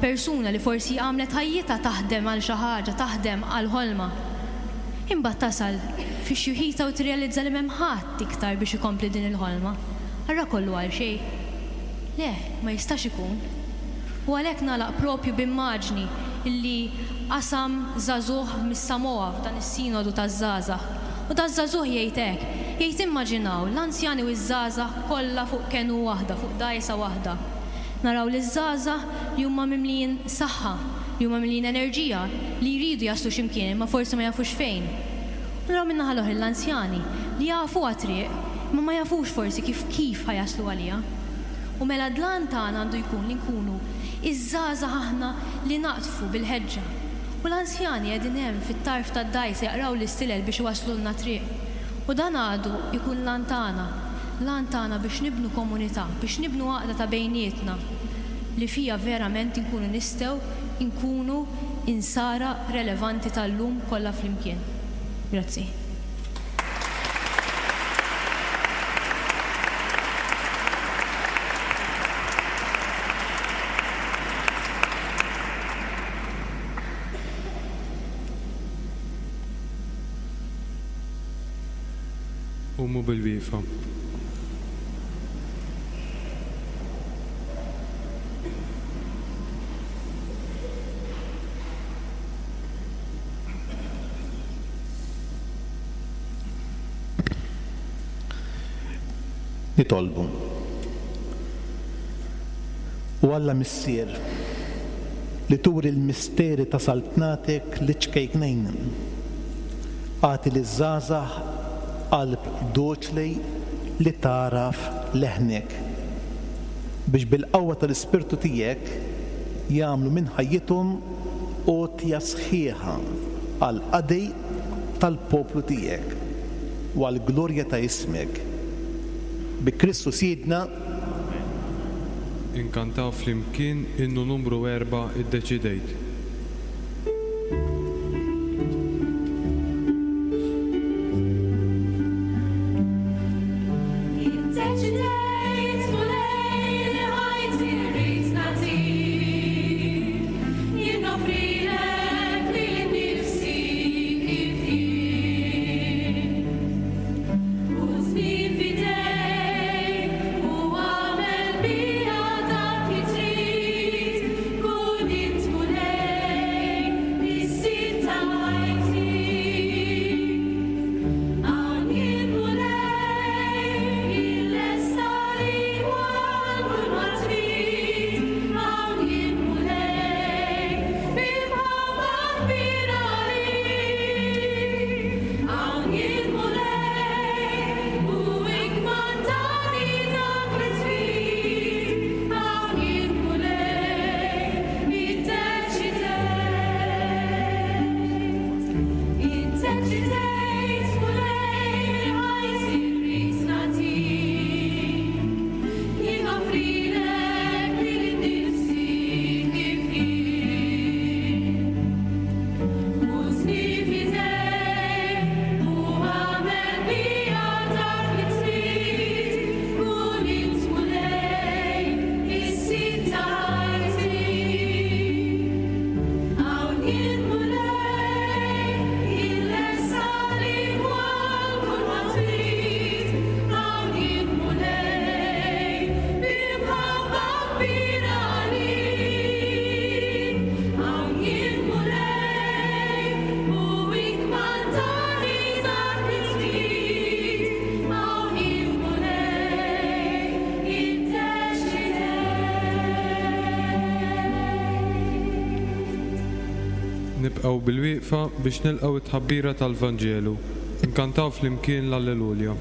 persuna li forsi għamlet ħajjitha taħdem għal xi ħaġa, taħdem għal ħolma. Imbagħad tasal fi xjuħitha u tirrealizza li m'hemm ħadd iktar biex ikompli din il-ħolma. Allura kollu għal xejn? Le, ma jistax ikun. U għalhekk nagħlaq propju b'immaġni li qasam żagħżugħ mis-Samoa f'dan is-Sinodu taż-Żgħażagħ. U daż-żagħżugħ jgħid hekk, jgħid immaġinaw l-anzjani u ż-żgħażagħ kollha fuq kenu waħda, fuq dgħajsa waħda. Naraw liż-żgħażagħ li huma mimlijin saħħa, li huma mimlijin enerġija, li jridu jaslu xi mkien imma forsi ma jafux fejn. U naraw min-naħa l-oħra lill-anzjani li jafuha t-triq imma ma jafux forsi kif kif ħa jaslu għaliha. U mela l-għan tagħna għandu jkun li nkunu iż-żgħażagħ aħna li naqdfu bil-ħeġġa. U l-anzjani qegħdin hemm fit-tarf tad-dgħajsa jaqraw l-istilel biex iwasslulna t-triq. U dan għadu jkun l-għan tagħna, l-għan tagħna biex nibnu komunità, biex nibnu għaqda ta' bejnietna li fiha verament inkunu nistgħu nkunu Insara relevanti tal-lum kollha flimkien. Grazzi. Qumu bil-wieqfa. Nitolbu. O Alla Missier, li turi l-misteri ta' saltnatek liċ-ċkejknejn, agħti liż-żgħażagħ qalb doċli li tagħraf leħnek, biex bil-qawwa tal-Ispirtu tiegħek jagħmlu minn ħajjithom għotja sħiħa għall-qadi tal-poplu tiegħek u għall-glorja ta' ismek. Bi Kristu Sidna. Amen. Inkantaw flimkien innu numru erbgħa Iddeċidejt. Iddeċidejt, Mulej, li ħajti rrid nagħtik. Jien noffrilek lili nnifsi kif jien. Ħudni f'idejk u agħmel bija dak li trid. Kun int, Mulej, is-sid ta' ħajti. Hawn jien, Mulej, jien lest għalik u għal kulma trid. Hawn jien, Mulej, bi mħabba kbira għalik. Hawn jien, Mulej, u ikkmandani dak li trid. Hawn jien, Mulej, iddeċidejt. Iddeċidejt, Mulej, li ħajti rrid nagħtik. Jien noffrilek lili nnifsi kif jien. Ħudni f'idejk u agħmel bija dak li trid. Kun int, Mulej, is-sid ta' ħajti. Hawn jien, Mulej, jien lest għalik u għal kulma trid. Hawn jien, Mulej, bi mħabba kbira għalik. Hawn jien, Mulej, u ikkmandani dak li trid. Hawn jien, Mulej, iddeċidejt. Nibqgħu bil-wieqfa biex nilqgħu t-tħabbira tal-Vanġelu. Inkantaw flimkien l-Alleluja.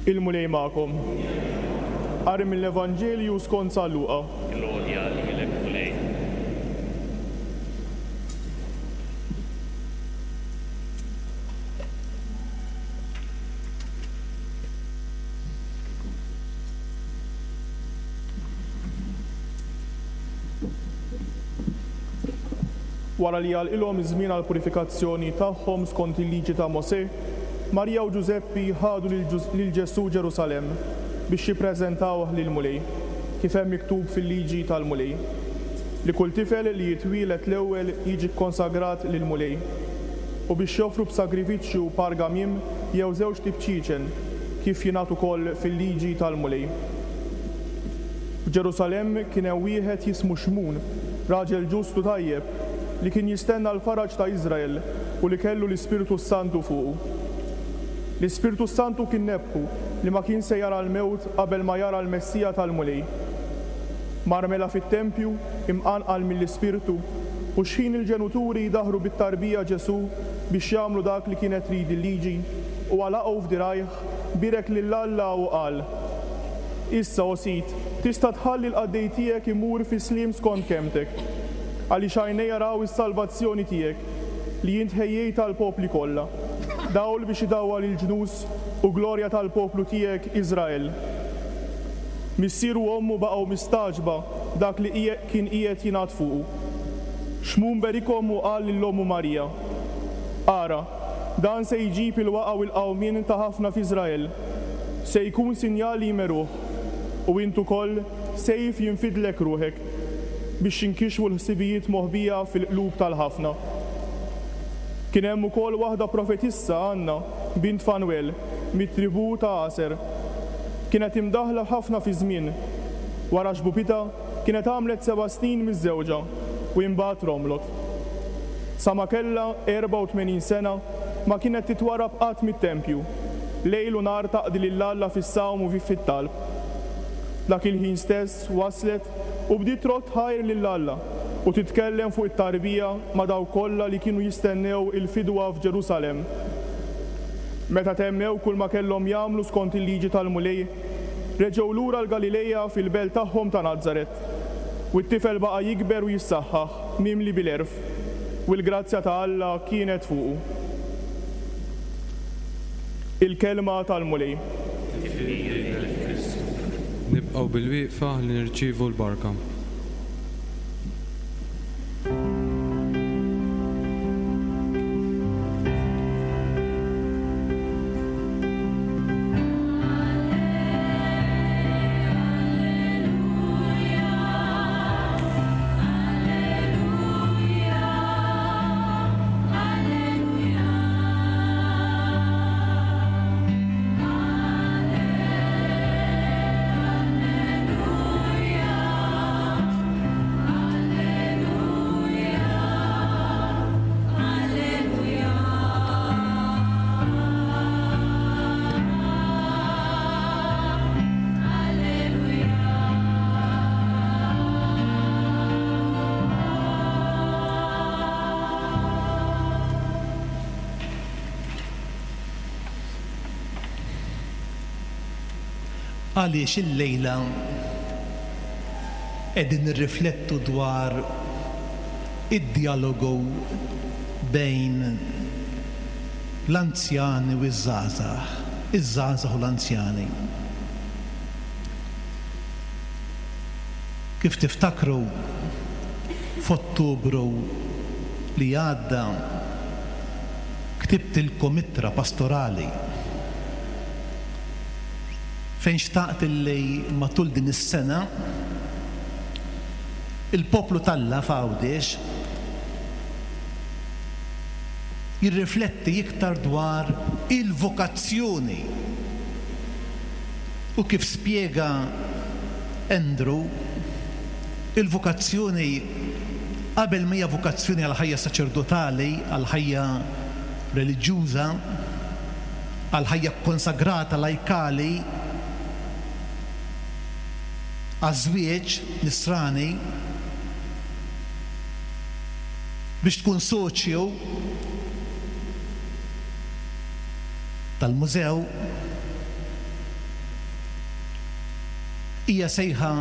Il-Mulej magħkom. Qari mill-Evanġelju skont San Luqa. Glorja lilek, Mulej. Wara li għalqilhom iż-żmien għall-purifikazzjoni tagħhom skont il-Liġi ta' Mosè, Marija u Ġużeppi ħadu lil Ġesù Ġerusalemm biex jippreżentawh lill-Mulej, kif hemm miktub fil-Liġi tal-Mulej, li kull tifel li jitwieled l-ewwel jiġi kkonsagrat lill-Mulej, u biex joffru b'sagrifiċċju par gamiem jew żewġt ibċieċen, kif jingħad ukoll fil-Liġi tal-Mulej. F'Ġerusalemm kien hemm wieħed jismu Xmun, raġel ġust u tajjeb, li kien jistenna l-faraġ ta' Iżrael u li kellu l-Ispirtu s-Santu fuqu. L-Ispirtu s-Santu kien nebbħu li ma kien se jara l-mewt qabel ma jara l-Messija tal-Mulej. Mar mela fit-tempju, imqanqal mill-Ispirtu, u xħin il-ġenuturi daħru bit-tarbija Ġesù biex jagħmlu dak li kienet trid il-Liġi, huwa laqgħu f'dirgħajh, bierek lil Alla u qal, Issa, o Sid, tista' tħalli l-qaddej tiegħek imur fis-sliem skont kelmtek, għaliex għajnejja raw is-salvazzjoni tiegħek, li int ħejjejt għall-popli kollha, dawl biex idawwal il-ġnus u glorja tal-poplu tiegħek Iżrael. Missieru u ommu baqgħu mistagħġba b'dak li kien qiegħed jingħad fuqu. Xmun berikhom u qal lil ommu Marija, Ara, dan se jġib il-waqgħa u l-qawmien ta' ħafna f'Iżrael. Se jkun sinjal li jmeruh, u int ukoll sejf jinfidlek ruħek, biex jinkixfu l-ħsibijiet moħbija fil-qlub tal-ħafna. Kien hemm ukoll waħda profetissa, Anna, bint Fanwel, mit-tribù ta' Aser. Kienet imdaħħla ħafna fiż-żmien. Wara xbubitha, kienet għamlet seba' snin miżżewġa u imbagħad romlot. Sa ma kellha 84 sena, ma kienet titwarrab qatt mit-tempju, lejl u nhar taqdi lil Alla fis-sawm u fit-talb. Dak il-ħin stess waslet u bdiet trodd ħajr lil Alla u titkellem fuq it-tarbija ma' dawk kollha li kienu jistennew il-fidwa f'Ġerusalemm. Meta temmew kulma kellhom jagħmlu skont il-Liġi tal-Mulej, reġgħu lura l-Galileja fil-belt tagħhom ta' Nazaret. U t-tifel baqa' jikber u jissaħħaħ, mimli bil-għerf, u l-grazzja ta' Alla kienet fuqu. Il-Kelma tal-Mulej. Tifħir lilek Kristu. Nibqgħu bilwieqfa ħalli nirċievu l-barka. Għaliex illejla qegħdin nirriflettu dwar id-djalogu bejn l-anzjani u ż-żgħażagħ, iż-żgħażagħ u l-anzjani. Kif tiftakru, f'Ottubru li għadda ktibtilkom ittra pastorali fejn xtaqt illi matul din is-sena il-poplu t'Alla f'Għawdex jirrifletti iktar dwar il-vokazzjoni u kif spjega Andrew, il-vokazzjoni qabel ma hija vokazzjoni għall-ħajja saċerdotali, għall-ħajja reliġjuża, għall-ħajja kkonsagrata lajkali, għaż-żwieġ nisrani, biex tkun soċju tal-mużew. Hija sejħa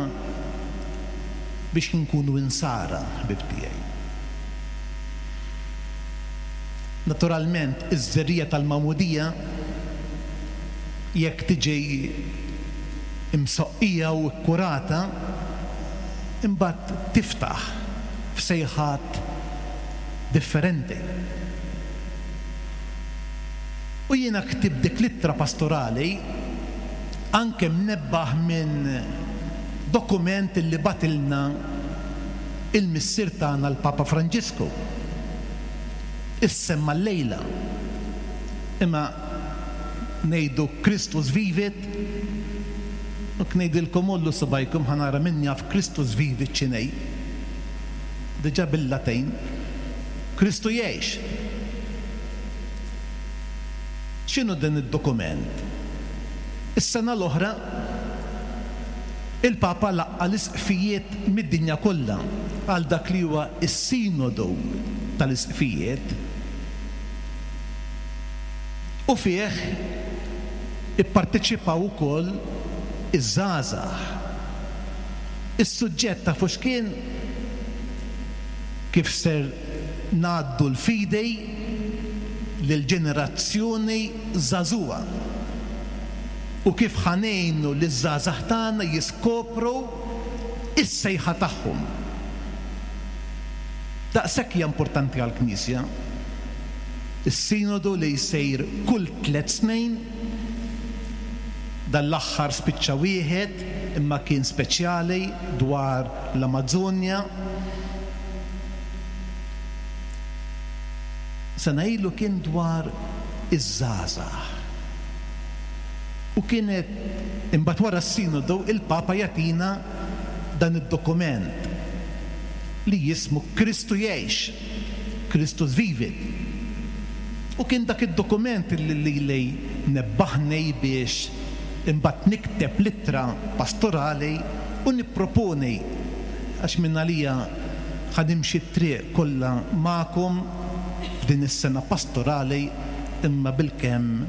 biex inkunu insara, ħbieb tiegħi. Naturalment, iż-żerriegħa tal-magħmudija jekk tiġi msoqqija u kkurata, imbagħad tiftaħ f'sejħat differenti. U jiena ktibt dik l-ittra pastorali anke mnebbaħ minn dokument li bagħtilna il-Missier tagħna l-Papa Franġisku. Issemma llejla. Imma ngħidu Christus vivit, u ngħidilkom għollu subgħajkom ħa nara min jaf Christus vivit x'inhi. Diġà bil-Latin. Kristu jgħix. X'inhu dan id-dokument? Is-sena l-oħra, il-Papa laqqa' l-isqfijiet mid-dinja kollha għal dak li huwa s-Sinodu tal-Isqfijiet u fih ipparteċipaw ukoll iż-żgħażagħ. Is-suġġett tafu x'kien? Kif ser ngħaddu l-fidi lill-ġenerazzjoni żagħżugħa u kif ħa ngħinu liż-żgħażagħ tagħna jiskopru s-sejħa tagħhom. Daqshekk hija importanti għall-Knisja. Is-Sinodu li jsir kull tlett snin, dan l-aħħar spiċċa wieħed imma kien speċjali dwar l-Amażonja. Sena ilu kien dwar iż-żgħażagħ. U kienet, imbagħad wara s-Sinodu, il-Papa jagħtina dan id-dokument li jismu Kristu Jgħix, Christus Vivit. U kien dak id-dokument li lili nebbaħni biex imbagħad nikteb l-ittra pastorali u nipproponi, għax mingħalija ħa nimxi t-triq kollha magħkom f'din is-sena pastorali imma bilkemm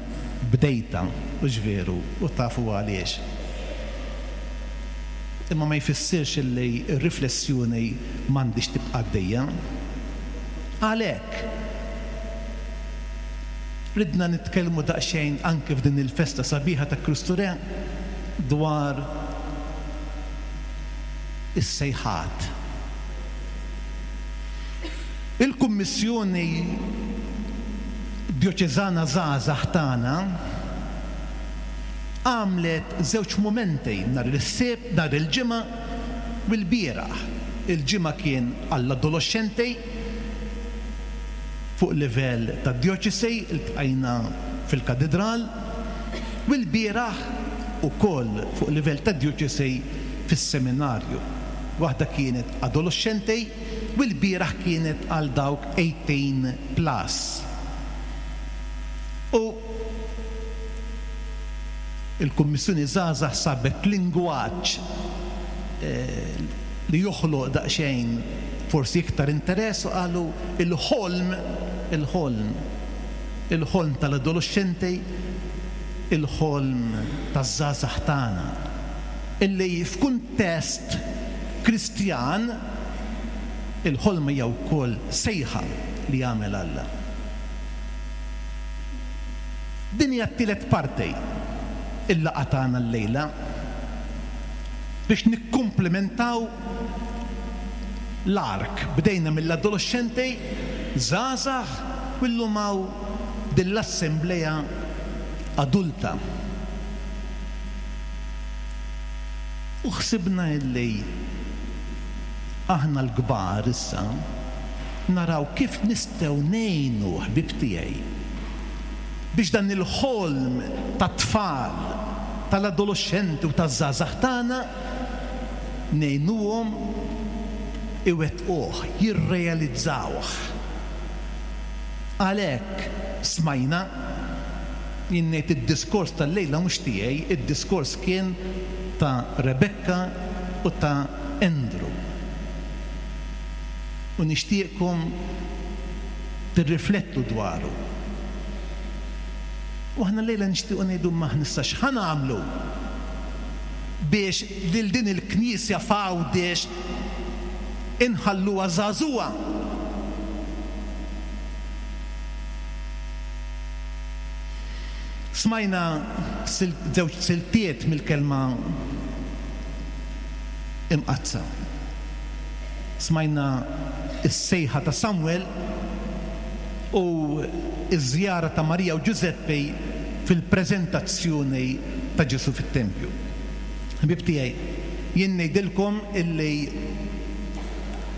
bdejtha, hux veru, u tafu għaliex. Imma ma jfissirx illi r-riflessjoni m'għandhiex tibqa' għaddejja. Għalhekk, ridna nitkellmu daqsxejn anke f'din il-festa sabiħa ta' Kristu Re dwar is-sejħat. Il-Kummissjoni Djoċeżana Żgħażagħ tagħna għamlet żewġ mumenti nhar is-Sibt, nhar il-Ġimgħa u l-bieraħ. Il-Ġimgħa kien għall-adoloxxenti fuq livell tad-djoċesi, iltqajna fil-Katidral, u l-bieraħ ukoll fuq livell tad-djoċesi fis-seminarju. Waħda kienet adoloxxenti u l-bieraħ kienet għal dawk 18 plus. U l-Kummissjoni Żgħażagħ sabet lingwaġġ li joħloq daqsxejn forsi iktar interess u qalu il-ħolm, il-ħolm, il-ħolm tal-adoloxxenti, il-ħolm taż-żgħażagħ tagħna. Illi f'kuntest Kristjan, il-ħolma hija wkoll sejħa li jagħmel Alla. Din hija t-tielet parti il-laqgħa tagħna llejla biex nikkumplementaw l-ark. Bdejna mill-adoloxxenti, żgħażagħ u llum hawn din l-assemblea adulta. U ħsibna illi aħna l-kbar issa naraw kif nistgħu ngħinu ħbieb tiegħi biex dan il-ħolm tat-tfal, tal-adoloxxenti u taż-żgħażagħ tagħna ngħinuhom iwettquh, jirrealizzawh. Għalhekk smajna, jien ngħid id-diskors tal-lejla mhux tiegħi, id-diskors kien ta' Rebecca u ta' Andrew. U nixtieqkom tirriflettu dwaru. U aħna llejla nixtiequ ngħidu imma aħna issa x'ħa nagħmlu? biex lil din il-Knisja f'Għawdex inħalluha żagħżugħa. Smajna żewġ siltiet mill-Kelma Imqaddsa. Smajna s-sejħa ta' Samwel u ż-żjara ta' Marija u Ġużeppi fil-preżentazzjoni ta' Ġesù fit-tempju. Ħbieb tiegħi, jien ngħidilkom illi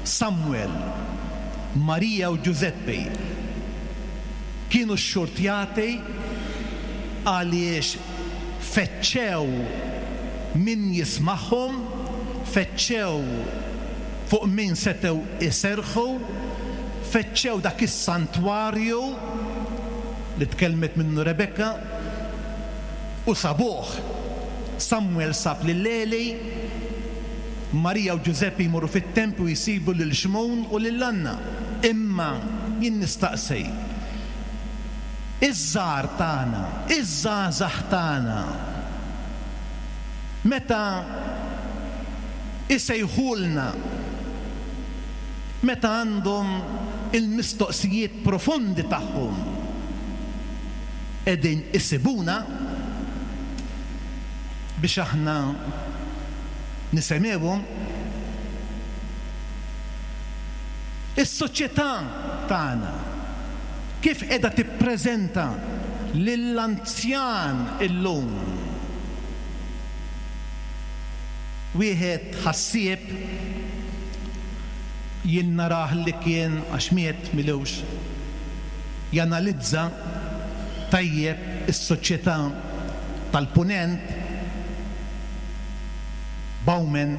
Samwel, Marija u Ġużeppi kienu xxurtjati għaliex fettxew min jismagħhom, fettxew fuq min setgħu jserrħu, fettxew dak is-santwarju li tkellmet minnu Rebekka u sabuh. Samwel sab lil Eli, Marija u Ġużeppi jmorru fit-tempju jsibu lil Xmun u lil Anna. Imma jien nistaqsi, iż-żgħar tagħna, iż-żgħażagħ tagħna, meta isejħulna, meta għandhom il-mistoqsijiet profondi tagħhom, qegħdin isibuna biex aħna nisemgħuhom? Is-soċjetà tagħna kif qiegħda tippreżenta lill-anzjan illum? Wieħed ħassieb, jien narah li kien, għax miet m'ilux, janalizza tajjeb is-soċjetà tal-Punent, Bauman.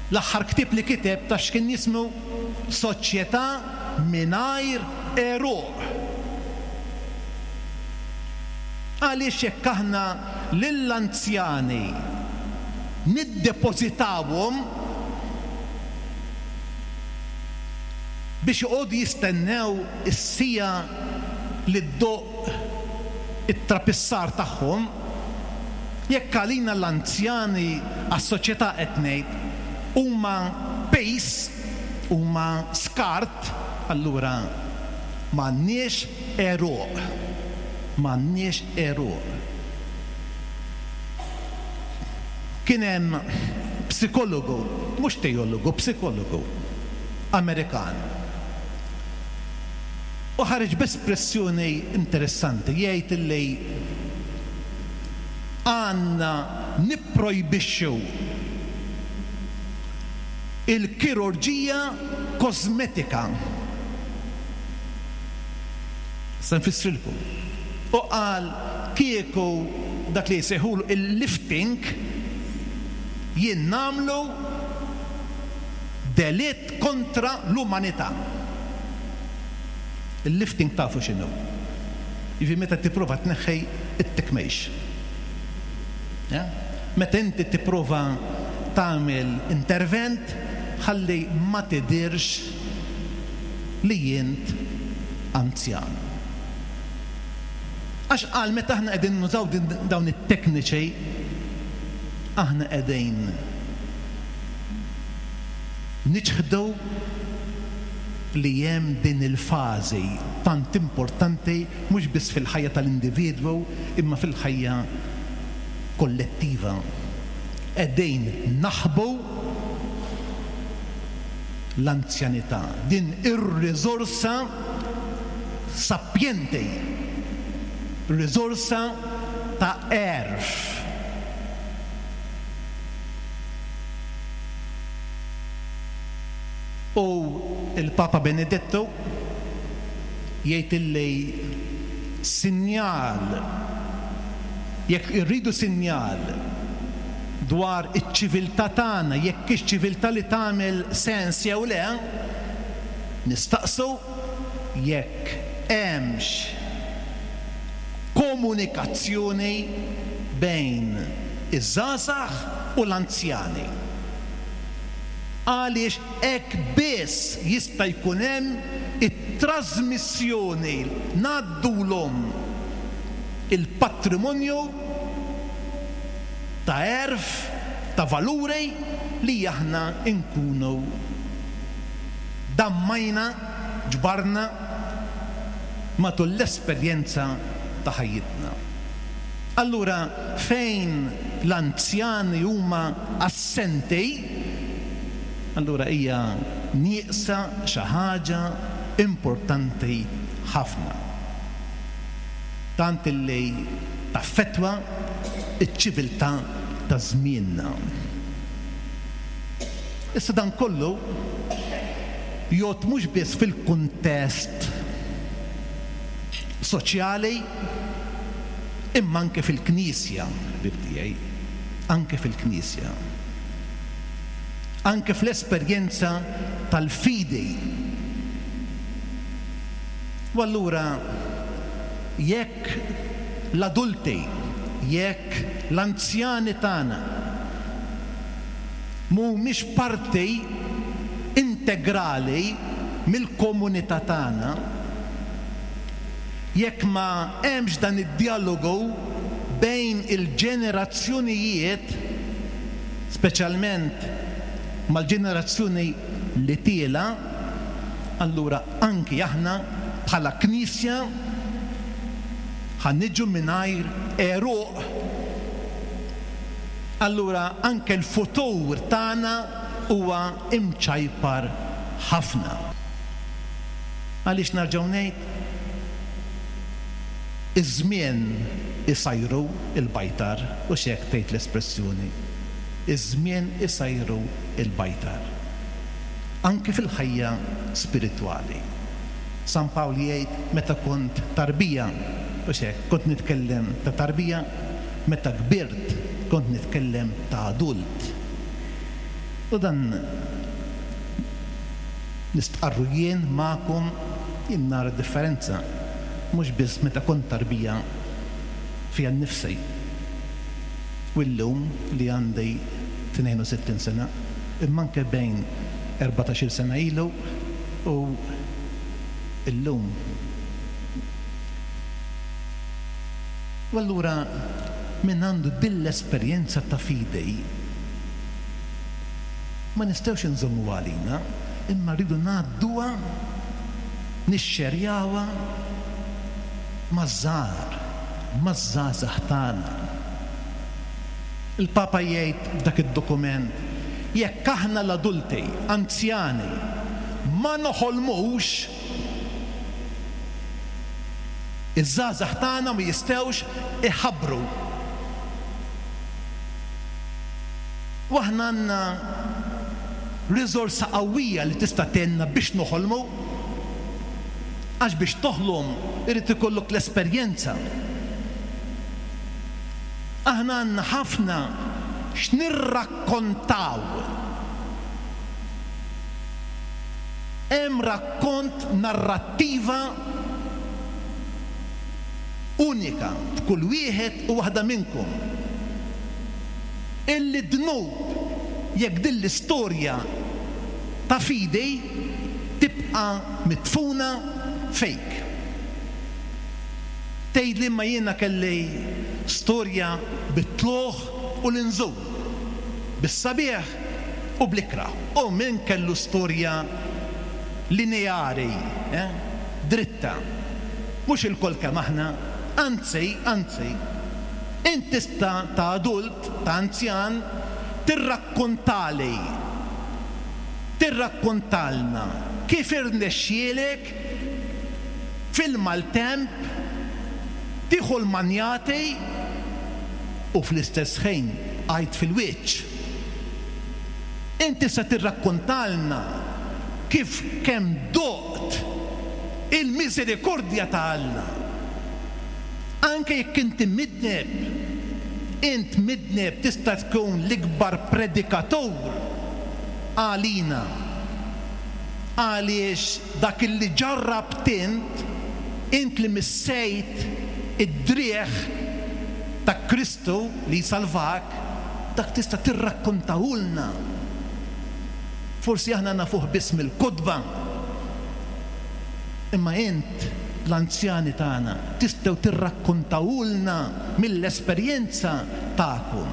L-aħħar ktieb li kiteb taf x'kien jismu? Soċjetà mingħajr għeruq. Għaliex jekk aħna lill-anzjani niddepożitawhom biex joqogħdu jistennew is-siegħa li ddoqq it-trapissar tagħhom, jekk għalina l-anzjani, għas-soċjetà qed ngħid, huma piż, huma skart, allura m'għandniex għeruq. M'għandniex għeruq. Kien hemm psikologu, mhux teologu, psikologu Amerikan. U ħareġ b'espressjoni interessanti, jgħid illi għandna nipprojbixxu il-kirurġija kosmetika. Se nfissrilkom. U qal kieku dak li jsejħulu il-lifting jien nagħmlu delitt kontra l-umanità. Il-lifting tafu x'inhu. Jiġifieri meta tipprova tneħħi t-tikmejx. Meta inti tipprova tagħmel intervent ħalli ma tidhirx li int anzjan. Għax qal meta aħna qegħdin nużaw dawn it-tekniċi aħna qegħdin niċħdu li hemm din il-fażi tant importanti mhux biss fil-ħajja tal-individwu imma fil-ħajja kollettiva. Qegħdin naħbu l-anzjanità, din ir-riżorsa sapjenti, riżorsa ta' għerf. U l-Papa Benedettu jgħid illi sinjal, jekk irridu sinjal dwar iċ-ċiviltà tagħna, jekk hix ċiviltà li tagħmel sens jew le, nistaqsu jekk hemmx komunikazzjoni bejn iż-żgħażagħ u l-anzjani. Għaliex hekk biss jista' jkun hemm it-trażmissjoni, ngħaddulhom il-patrimonju. ta' għerf, ta' valuri li aħna nkunu dammajna, ġbarna matul l-esperjenza ta' ħajjitna. Allura fejn l-anzjani huma assenti, allura hija nieqsa xi ħaġa importanti ħafna. Tant illi taffettwa ċ-ċiviltà ta' żmienna. Issa dan kollu jgħodd mhux biss fil-kuntest soċjali imma anke fil-Knisja, ħbieb tiegħi, anke fil-Knisja. Anke fl-esperjenza tal-fidi. U allura jekk l-adulti, jekk l-anzjani tagħna mhumiex parti integrali mill-komunità tagħna, jekk ma hemmx dan id-djalogu bejn il-ġenerazzjonijiet, speċjalment mal-ġenerazzjoni li tielgħa, allura anki aħna bħala Knisja ħa niġu mingħajr għeruq. Allura anke l-futur tagħna huwa imċajpar ħafna. Għaliex nerġgħu ngħid, iż-żmien isajru l-bajtar, hux hekk tgħid l-espressjoni, iż-żmien isajru l-bajtar. Anke fil-ħajja spiritwali. San Pawl jgħid meta kont tarbija, hux hekk, kont nitkellem ta' tarbija, meta kbirt kont nitkellem ta' adult. U dan nistqarru jien magħkom, jien nara differenza, mhux biss meta kont tarbija fija nnifsi u llum li għandi 62 sena, imma anke bejn 14-il sena ilu u llum. U allura min għandu din l-esperjenza ta' fidi, ma nistgħux inżommuha għalina, imma rridu ngħadduha, nixxerjawha maż-żgħar, maż-żgħażagħ tagħna. Il-Papa jgħid f'dak id-dokument, jekk aħna l-adulti, anzjani, ma noħolmux, iż-żgħażagħ tagħna ma jistgħux iħabbru. U aħna għandna riżorsa qawwija li tista' tgħinna biex noħolmu. Għax biex toħlom irid ikollok l-esperjenza. Aħna għandna ħafna x'nirrakkontaw. Hemm rakkont, narrattiva unika f'kull wieħed u waħda minnkom. Illi dnub jekk din l-istorja ta' fidi tibqa' midfuna fik. Tgħidli imma jiena kelli storja bit-tlugħ u l-inżul, bis-sabiħ u bl-ikrah. U min kellu storja lineari, eh, dritta? Mhux ilkoll kemm aħna, anzi, anzi, int tista' ta' adult, ta' anzjan, tirrakkontali, tirrakkontalna kif irnexxielek fil-maltemp tieħu l-manjati u fl-istess ħin bqajt fil-wiċċ. Int tista' tirrakkontalna kif kemm doqt il-miżerikordja ta' Alla. Anke jekk inti midneb, int midneb tista' tkun l-ikbar predikatur għalina. Għaliex dak illi ġarrabt int, int li missejt id-driegħ ta' Kristu li jsalvak, dak tista' tirrakkontahulna. Forsi aħna nafuh biss mill-kotba, imma int, l-anzjani tagħna, tistgħu tirrakkontahulna mill-esperjenza tagħkom.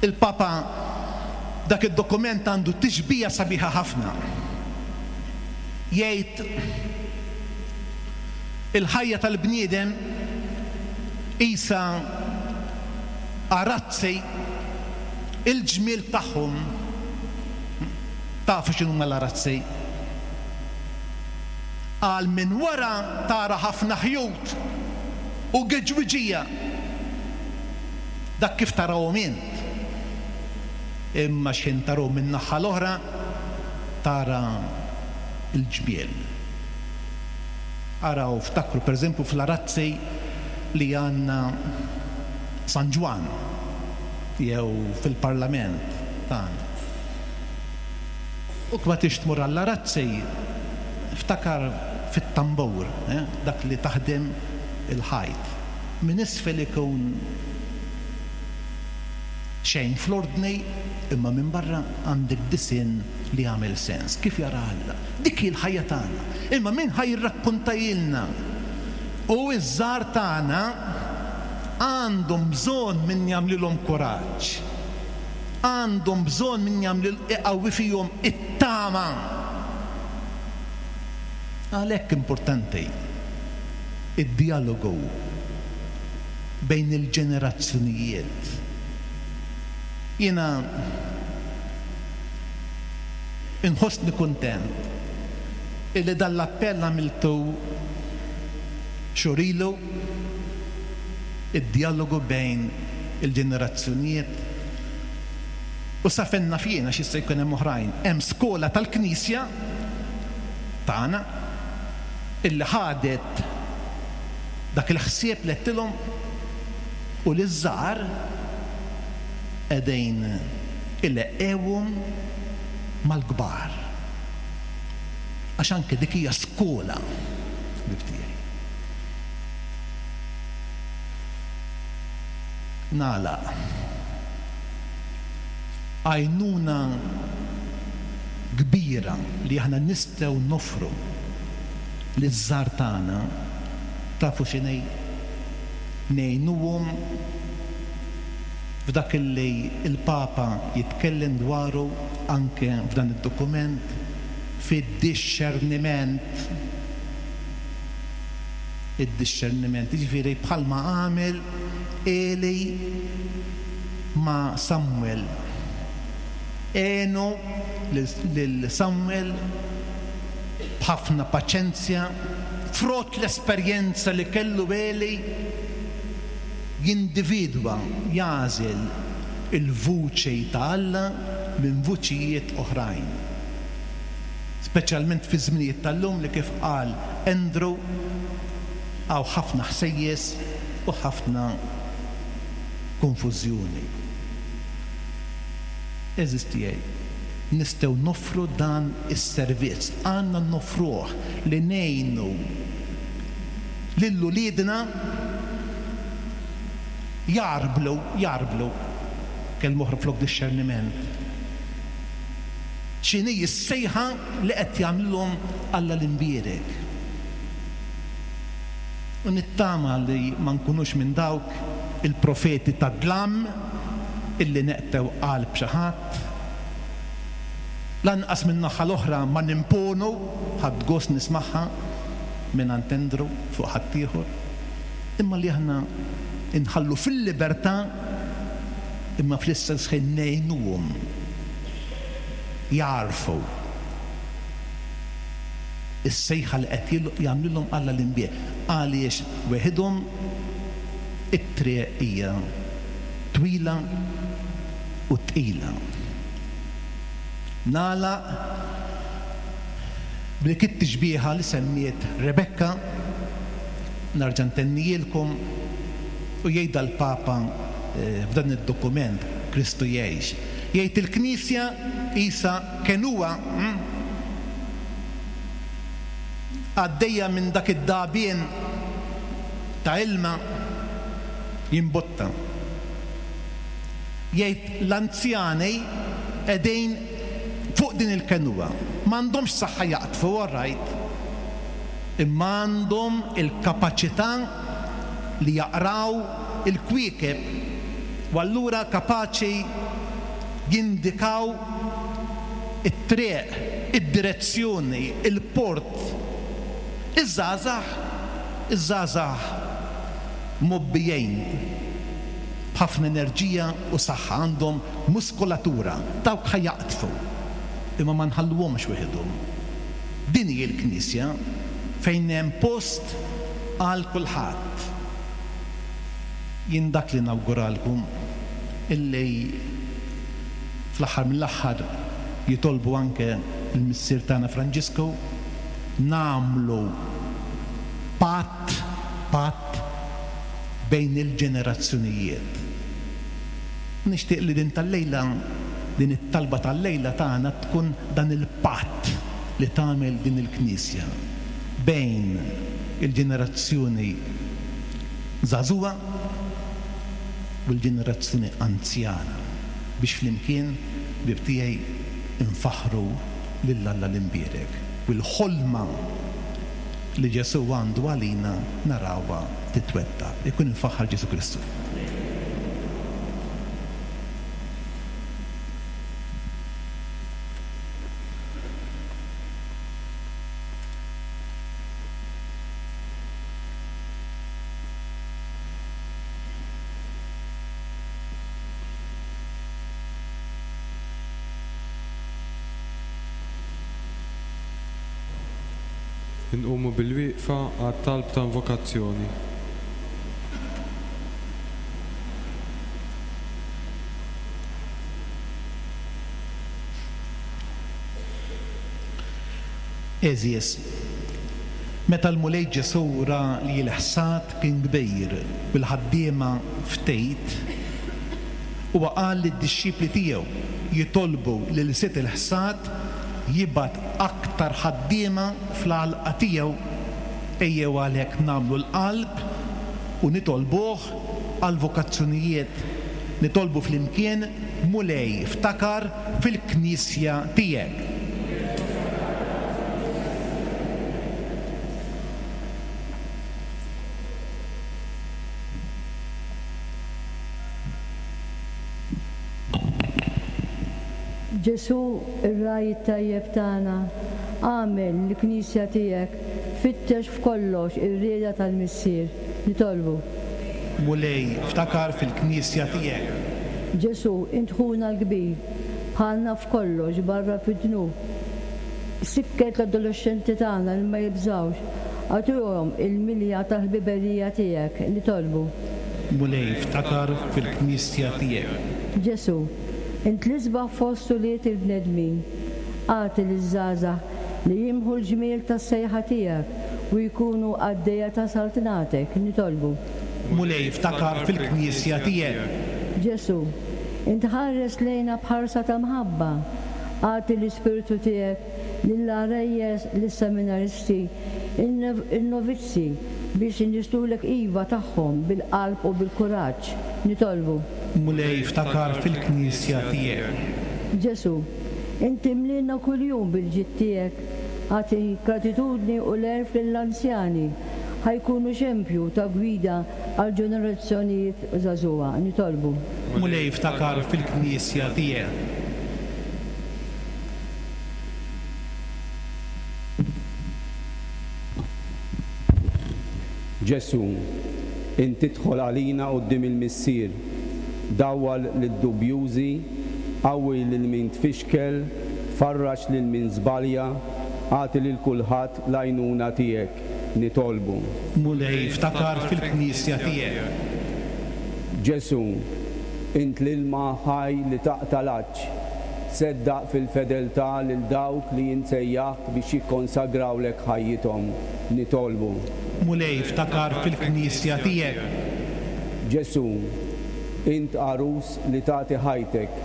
Il-Papa dak id-dokument għandu tixbija sabiħa ħafna. Jgħid il-ħajja tal-bniedem qisha arazzi il-ġmiel tagħhom. Tafu x'inhuma l-arazzi? Qal minn wara tara ħafna ħjut u geġwiġija. Dak kif tarahom int. Imma x'ħin tarahom min-naħa l-oħra tara l-ġmiel. Araw, ftakru pereżempju fl-arazzi li għandna San Ġwann jew fil-Parlament tagħna. U ma tridx tmur għall-arazzi, ftakar fit-tambur, dak li taħdem il-ħajt. Minn isfel ikun xejn fl-ordni, imma minn barra għandek disinn li jagħmel sens. Kif jara Alla. Dik hi l-ħajja tagħna. Imma min ħa jirrakkontahielna? U ż-żgħar tagħna għandhom bżonn min jagħmlilhom kuraġġ. Għandhom bżonn min jagħmlil iqawwi fihom it-tama. Għalhekk importanti d-djalogu bejn il-ġenerazzjonijiet. Jiena inħossni kuntent illi dan l-appell għamiltu xhur ilu, id-djalogu bejn il-ġenerazzjonijiet u sa fejn naf jien għax jista' jkun hemm oħrajn, hemm skola tal-Knisja tagħna illi ħadet dak il-ħsieb li għedtilhom u liż-żgħar qegħdin ileqqewhom mal-kbar. Għax anke dik hija skola, ħbieb tiegħi. Nagħlaq. Għajnuna kbira li aħna nistgħu noffru liż-żgħar tagħna tafu x'inhi? Ngħinuhom f'dak li l-Papa jitkellem dwaru anke f'dan id-dokument, fid-dixxerniment. Id-dixxerniment, jiġifieri bħalma għamel Eli ma' Samwel. Għenu lil Samwel b'ħafna paċenzja, frott l-esperjenza li kellu Eli, jindividwa, jagħżel il-vuċi ta' Alla minn vuċijiet oħrajn. Speċjalment fiż-żminijiet tal-lum li kif qal Andrew hawn ħafna ħsejjes u ħafna konfużjoni. Għeżież tiegħi, nistgħu noffru dan is-servizz, għandna noffruh li ngħinu lil uliedna jgħarblu, jgħarblu, kelma oħra flok dixxerniment, x'inhi s-sejħa li qed jagħmlilhom Alla l-Imbierek. U nittama li ma nkunux minn dawk il-profeti tad-dlam illi neqtgħu qalb xi ħadd. Lanqas min-naħa l-oħra ma nimponu, ħadt gost nismagħha mingħand Andrew fuq ħaddieħor, imma li aħna nħallu fil-libertà imma fl-istess ħin ngħinuhom jagħrfu is-sejħa li qed jagħmlilhom Alla l-Imbierek għaliex weħidhom it-triq hija twila u tqila. Nagħlaq b'dik it-tixbieha li semmiet Rebecca, nerġa' ntennihielkom u jgħidha l-Papa f'dan id-dokument Kristu Jgħix. Jgħid il-Knisja qisha kenua għaddejja minn dak id-dagħbien ta' ilma jimbotta. Jgħid l-anzjani qegħdin fuq din il-kenua. M'għandhomx saħħa jaqdfu, all right, imma għandhom il-kapaċità li jaqraw il-kwiekeb u allura kapaċi. jindikaw it-triq, id-direzzjoni, il-port. Iż-żgħażagħ, iż-żgħażagħ mgħobbijin b'ħafna enerġija u saħħa, għandhom muskolatura, dawk ħa jaqdfu, imma ma nħalluhomx weħidhom. Din hi l-Knisja fejn hemm post għal kulħadd. Jien dak li nawguralkom illi fl-aħħar mill-aħħar jitolbu anke l-Missier tagħna Franġisku, nagħmlu patt, patt bejn il-ġenerazzjonijiet. Nixtieq li din tal-lejla, din it-talba tal-lejla tagħna tkun dan il-patt li tagħmel din il-Knisja bejn il-ġenerazzjoni żagħżugħa u l-ġenerazzjoni anzjana biex flimkien, ħbieb tiegħi, infaħħru lil Alla l-Imbierek u l-ħolma li Ġesù għandu għalina narawha titwettaq. Ikun imfaħħar Ġesù Kristu. Inqumu bilwieqfa għat-talb ta' invokazzjoni. Għeżież, meta l-Mulej Ġesù ra li l-ħsad kien kbir u l-ħaddiema ftit, huwa qal lid-dixxipli tiegħu jitolbu lil Sid il-ħsad jibgħat aktar ħaddiema fl-għalqa tiegħu. Ejjew għalhekk nagħmlu l-qalb u nitolbuh għall-vokazzjonijiet. Nitolbu flimkien, Mulej, ftakar fil-Knisja tiegħek. Ġesù, ir-Ragħaj it-tajjeb tagħna, agħmel li l-Knisja tiegħek tfittex f'kollox ir-rieda tal-Missier. Nitolbu. Mulej, ftakar fil-Knisja tiegħek. Ġesù, int ħuna l-kbir, bħalna f'kollox barra fid-dnub. Sikket l-adolexxenti tagħna li ma jibżgħux, agħtihom il-milja tal-ħbiberija tiegħek. Nitolbu. Mulej, ftakar fil-Knisja tiegħek. Ġesù, int l-isbaħ fost ulied il-bnedmin. Agħti liż-żgħażagħ li jimħu l-ġmiel tas-sejħa tiegħek u jkunu qaddejja ta' saltnatek. Nitolbu. Mulej, ftakar fil-Knisja tiegħek. Ġesù, int ħares lejna b'ħarsa ta' mħabba. Agħti l-Ispirtu tiegħek lill-għarejjes, lis-seminaristi, in-novizzi biex inissdulek iva tagħhom bil-qalb u bil-kuraġġ. Nitolbu. Mulej ftakar fil-Knisja tiegħek. Ġesù, int imliena kuljum bil-ġid tiegħek. Agħti gratitudni u l-għerf lill-anzjani ħa jkunu xempju ta' gwida għall-ġenerazzjonijiet żagħżugħa. Nitolbu. Mulej ftakar fil-Knisja tiegħek. Ġesù, int tidħol għalina quddiem il-Missier, dawwal lid-dubjużi, qawwi lil min tfixkel, farraġ lil min żbalja, agħti lil kulħadd l-għajnuna tiegħek. Nitolbu. Mulej, ftakar fil-Knisja tiegħek. Ġesù, int l-ilma ħaj li taqta' l-għatx. Seddaq fil-fedeltà lil dawk li int sejjaħt biex jikkonsagrawlek ħajjithom. Nitolbu. Mulej, ftakar fil-Knisja tiegħek. Ġesù, int għarus li tagħti ħajtek,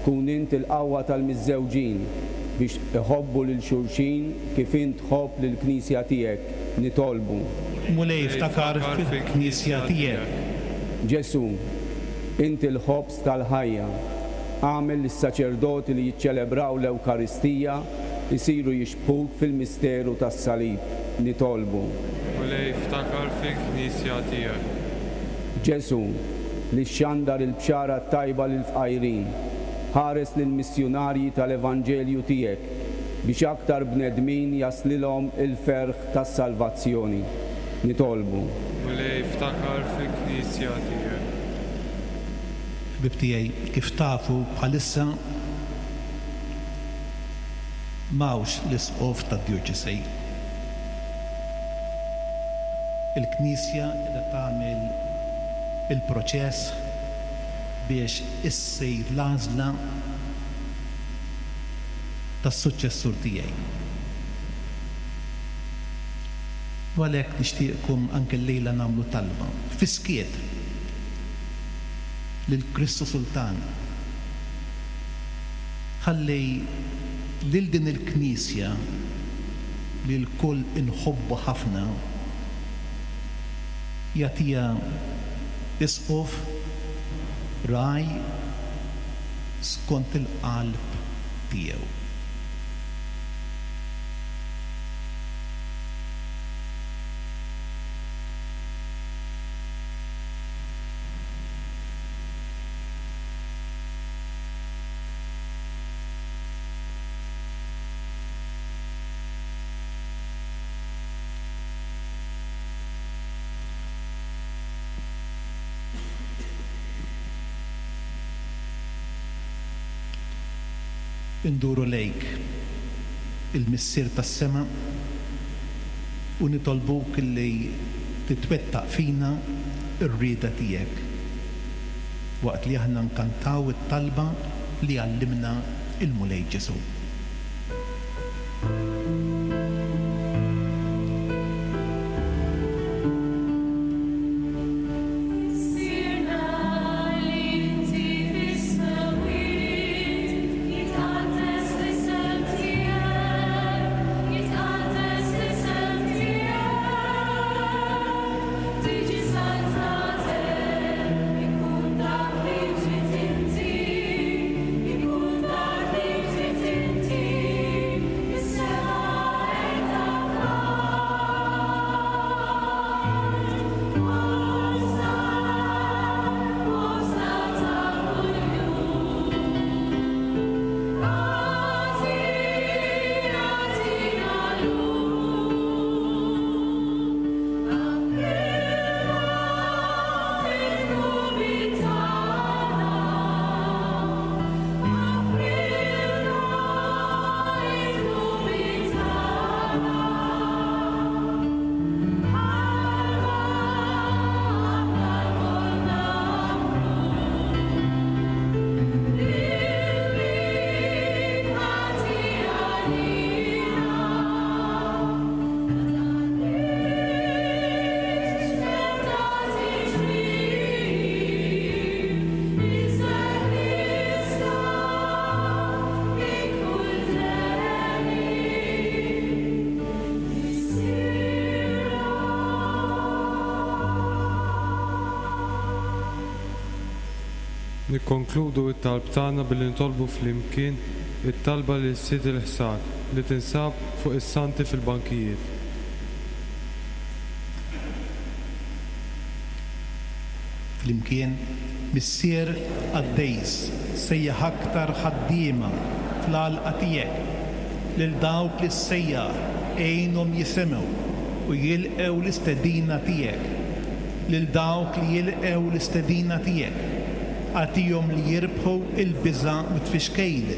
kun int il-qawwa tal-miżżewġin biex iħobbu lil xulxin kif int tħobb lill-Knisja tiegħek. Nitolbu. Mulej, ftakar fil-Knisja tiegħek. Ġesù, int il-ħobż tal-ħajja. Agħmel li s-saċerdoti li jiċċelebraw l-Ewkaristija jsiru jixbhuk fil-misteru tas-Salib. Nitolbu. Mulej, ftakar fil-Knisja tiegħek. Ġesù, li xxandar il-Bxara t-Tajba lill-fqajrin. Ħares lill-missjunarji tal-Evanġelju tiegħek, biex aktar bnedmin jaslilhom il-ferħ tas-salvazzjoni. Nitolbu. Mulej, ftakar fil-Knisja tiegħek. Ħbieb tiegħi, kif tafu bħalissa m'hawnx l-Isqof tad-Djoċesi. Il-Knisja qiegħda tagħmel il-proċess biex issir l-għażla tas-suċċessur tiegħi. U għalhekk nixtieqkom anke llejla nagħmlu talba, fis-skiet, lil Kristu Sultan. Ħalli lil din il-Knisja li lkoll inħobbu ħafna jagħtiha Isqof, ragħaj skont il-qalb tiegħu. Induru lejk, il-Missier tas-sema, u nitolbuk li titwettaq fina r-rieda tiegħek, waqt li aħna nkantaw it-talba li għallimna l-Mulej Ġesù. Missierna li inti fis-smewwiet, jitqaddes l-isem tiegħek, jitqaddes l-isem tiegħek. Tiġi saltnatek, ikun dak li trid inti, ikun dak li trid inti, fis-sema qiegħda fl-art. Ħobżna, ħobżna ta' kuljum. Agħti, agħtina llum. Aħfrilna d-dnubiet tagħna. Aħfrilna d-dnubiet tagħna. Bħalma aħna lkoll naħfru lil min ħati għalina. Ma tħallix meta tiġri, iżda ħlisna minn kull deni. Missierna. Nikkonkludu t-talb tagħna billi nitolbu flimkien it-talba lil Sid il-Ħsad li tinsab fuq is-santi fil-bankijiet. Flimkien, Missier qaddejs, sejjaħ aktar ħaddiema fl-għalqa tiegħek. Lil dawk li ssejjaħ, għinhom jisimgħu u jilqgħu l-istedina tiegħek. Lil dawk li jilqgħu l-istedina tiegħek, agħtihom li jirbħu l-biża' u t-tfixkejl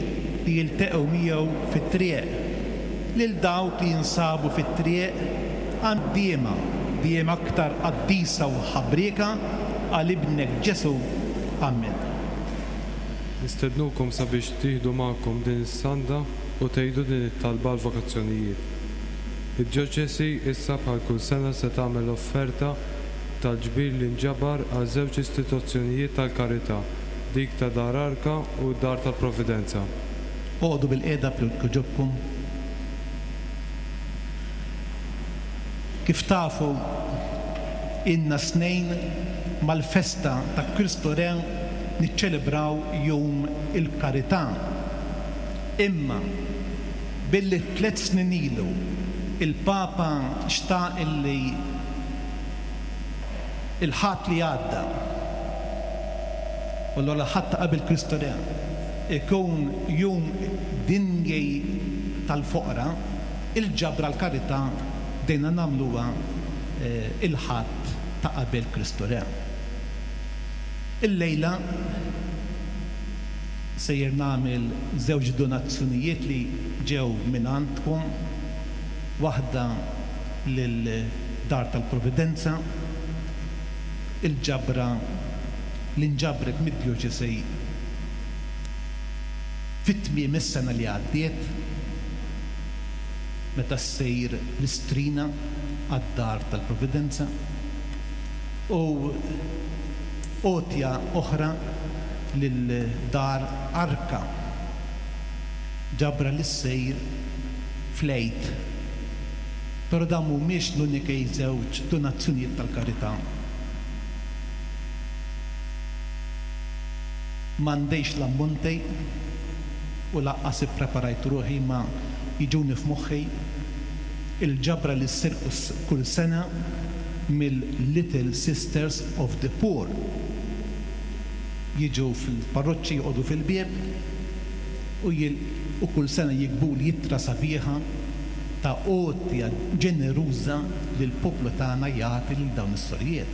li jilteqgħu miegħu fit-triq. Lil dawk li jinsabu fit-triq, għaddiema dejjem aktar qaddisa u ħabrieka għal Ibnek Ġesù. Ammen. Nistednukom sabiex tieħdu magħkom din is-sanda u tgħidu din it-talba għall-vokazzjonijiet. Id-djoċesi issa bħal kull sena se tagħmel offerta tal-ġbir li nġabar għal żewġ istituzzjonijiet tal-karità, dik ta' Dar Arka u d-Dar tal-Providenza. Oqogħdu bilqiegħda jogħġobkom. Kif tafu, ilna snejn mal-festa ta' Kristu Re niċċelebraw Jum il-Karità. Imma billi tlett snin ilu il-Papa xtaq illi il-Ħadd li għadda, u allura l-Ħadd ta' qabel Kristu Re. ikun Jum Dinji tal-Foqra, il-ġabra għall-karità bdejna nagħmluha il-Ħadd ta' qabel Kristu Re. Illejla sejjer nagħmel żewġ donazzjonijiet li ġew mingħandkom, waħda lil Dar tal-Providenza, il-ġabra li nġabret mid-djoċesi fi tmiem is-sena li għaddiet meta ssir l-istrina għad-Dar tal-Providenza, u għotja oħra lil Dar Arka, ġabra li ssir fl-Għid. Però dawn mhumiex l-unikej żewġ donazzjonijiet tal-karità. M'għandix l-ammonti u lanqas ippreparajt ruħi imma jiġuni f'moħħi il-ġabra li ssir kull sena mill-Little Sisters of the Poor. Jiġu fil-parroċċi joqogħdu fil-bieb u u kull sena jiktbuli ittra sabiħa ta' għotja ġeneruża li l-poplu tagħna jagħti lil dawn is-sorijiet.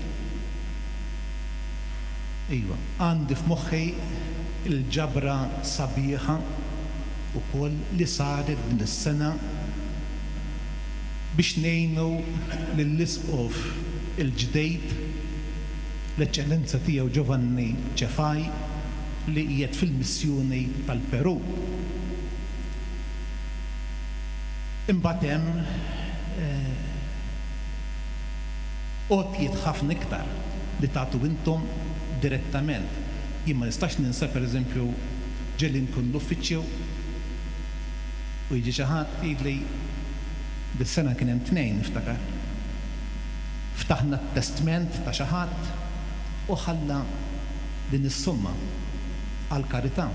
Iva, għandi f'moħħi l-ġabra sabiħa wkoll li saret din is-sena biex ngħinu lill-Isqof il-ġdid, l-Eċċellenza Tiegħu Giovanni Cefai li qiegħed fil-missjoni tal-Perù. Imbagħad hemm għotjiet ħafna iktar li tagħtu intom direttament. Jien ma nistax ninsa pereżempju ġieli nkun l-uffiċċju u jiġi xi ħadd jgħidli dis-sena kien hemm tnejn niftakar. Ftaħna t-testment ta' xi ħadd u ħalla din is-somma għall-karità.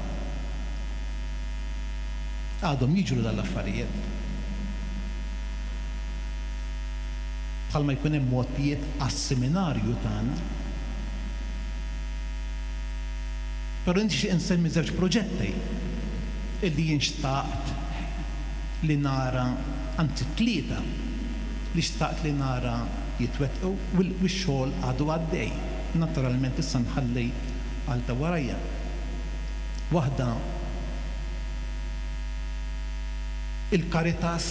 Għadhom jiġru dawn l-affarijiet. Bħalma jkun hemm għotjiet għas-seminarju tagħna. Però nixtieq insemmi żewġ proġetti illi jien xtaqt li nara, anzi tlieta li xtaqt li nara jitwettqu u x-xogħol għadu għaddej. Naturalment issa nħalli għal ta' warajja. Waħda il-Caritas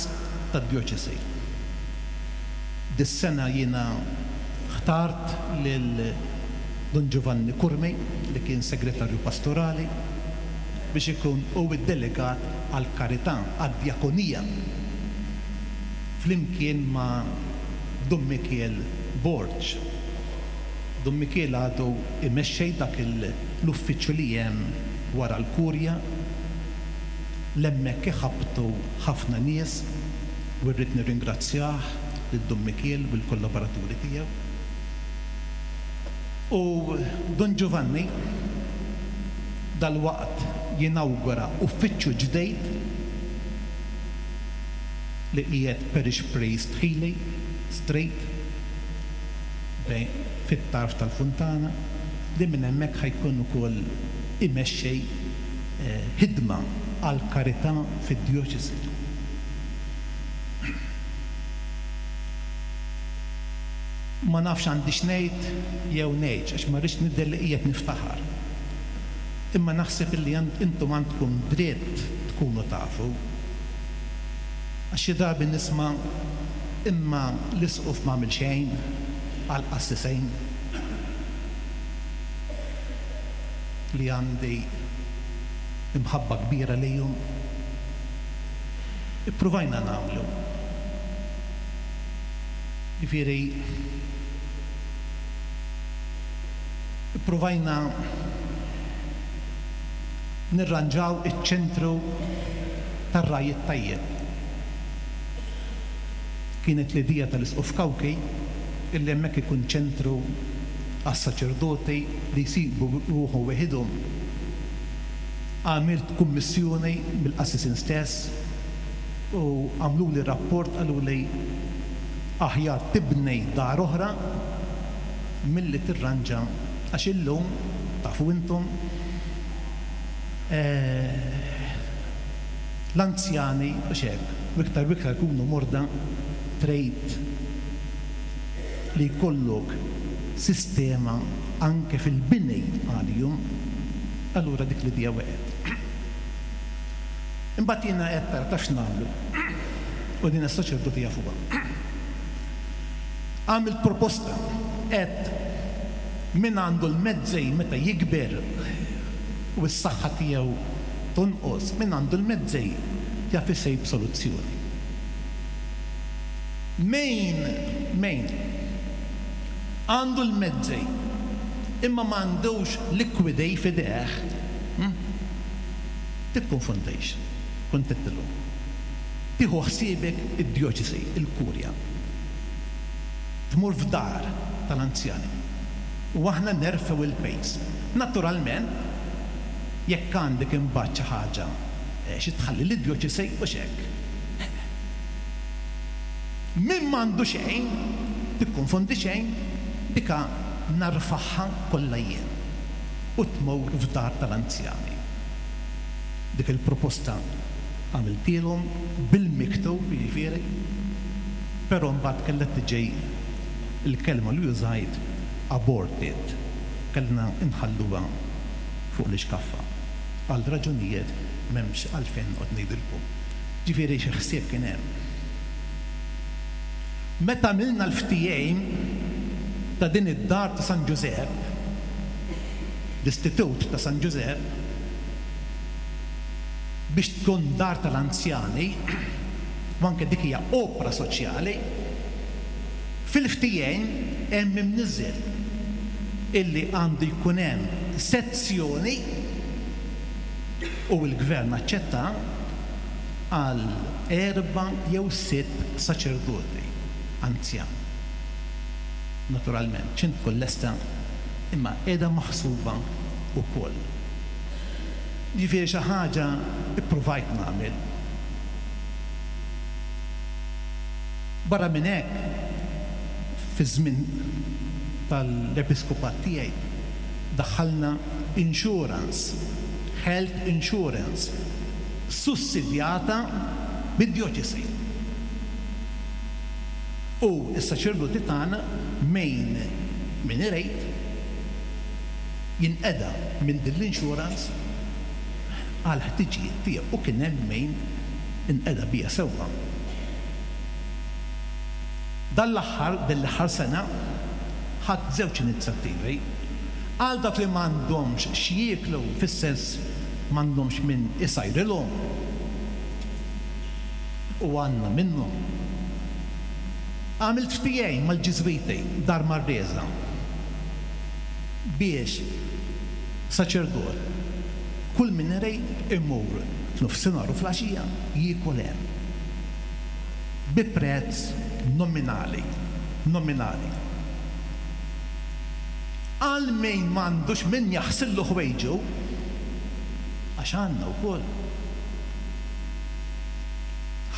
tad-Djoċesi. Dis-sena jiena ħtart lil Dun Giovanni Curmi, li kien Segretarju Pastorali, biex ikun hu d-delegat għall-karità, għad-djakonija, flimkien ma' Dun Mikiel Borg. Dun Mikiel għadu imexxej dak l-uffiċċju li hemm wara l-Kurja. L-hemmhekk iħabbtu ħafna nies u rrid nirringrazzjah lil Dun Mikiel u l-kollaboraturi tiegħu. U Dun Giovanni dalwaqt jinawgura uffiċċju ġdeid li qiegħed Parish Priest Healy Street bejn fit-tarf tal-Funtana li minn hemmhekk ħa jkun ukoll imexxej ħidma għall-karità fid-djoċesi. Ma nafx għandix ngħid jew ngħidx għax ma rridx nidher li qiegħed niftaħar. Imma naħseb illi intom għandkom dritt tkunu tafu. Għax xi drabi nisma' imma l-isqof m'għamel xejn għall-qassisejn. Li għandi imħabba kbira lejhom. Ippruvajna nagħmlu. Jiġifieri ippruvajna nirranġaw iċ-ċentru tar-Ragħaj it-Tajjeb. Kienet l-idea tal-Isqof Cauchi illi hemmhekk ikun ċentru għas-saċerdoti li jsibu ruħhom weħidhom. Għamilt kummissjoni mill-qassisin stess u għamluli rapport qaluli aħjar tibni dar oħra milli tirranġa għax illum, tafu intom, L-anzjani, hux hekk, u iktar u iktar ikunu morda, trid li jkollok sistema anke fil-bini għalihom, allura dik l-idea weqgħet. Imbagħad jiena għedt ara taf x'nagħmlu, u din is-saċerdoti jafuha. Għamilt proposta, għedt min għandu l-mezzi meta jikber u s-saħħa tiegħu tonqos, min għandu l-mezzi jaf isib soluzzjoni. Min, min għandu l-mezzi imma m'għandux likwidi f'idejh, hm? Tikkonfondix, kont għedtilhom. Tieħu ħsiebek id-djoċesi, il-kurja. Tmur f'dar tal-anzjani. U aħna nerfgħu l-pejs. Naturalment, jekk għandek imbagħad xi ħaġa xi tħalli lid-djoċesi hux hekk. Min m'għandu xejn, tikkonfondi xejn, dika narfagħha kollha jien u tmur f'dar tal-anzjani. Dik il-proposta għamiltielhom bil-miktub, jiġifieri, però mbagħad kellha tiġi l-kelma li użajt aborted, kellna nħalluha fuq l-ixkaffa għal raġunijiet m'hemmx għalfejn noqgħod ngħidilkom. Ġifieri xi ħsieb kien hemm. Meta għamilna l-ftehim ta' din id-dar ta' San Ġużepp, l-Istitut ta' San Ġużepp, biex tkun dar tal-anzjani, u anke dik hija opra soċjali, fil-ftehim hemm imniżżel illi għandu jkun hemm sezzjoni, u l-Gvern aċċetta, għal erba' jew sitt saċerdoti anzjani. Naturalment, x'int tkun lesta, imma qiegħda maħsuba wkoll. Jiġifieri xi ħaġa ppruvajt nagħmel. Barra minn hekk, fiż-żmien tal-episkopat tiegħi daħħalna insurance, health insurance, sussidjata mid-djoċesi. U s-saċerdoti tagħna min min irid jinqeda minn din l-insurance għall-ħtiġijiet tiegħu u kien hemm min inqeda biha sewwa. Dan l-aħħar, din l-aħħar sena, ħadt żewġ inizjattivi. Għal dawk li m'għandhomx x'jieklu fis-sens m'għandhomx min isajrilhom u għandna minnhom. Għamilt ftehim mal-Ġiżwiti Dar Marresa biex saċerdot kull min irid imur f'nofsinhar u fl-għaxija jiekol hemm bi prezz nominali, nominali. Għal min m'għandux min jaħsillu ħwejġu, għax għandna wkoll.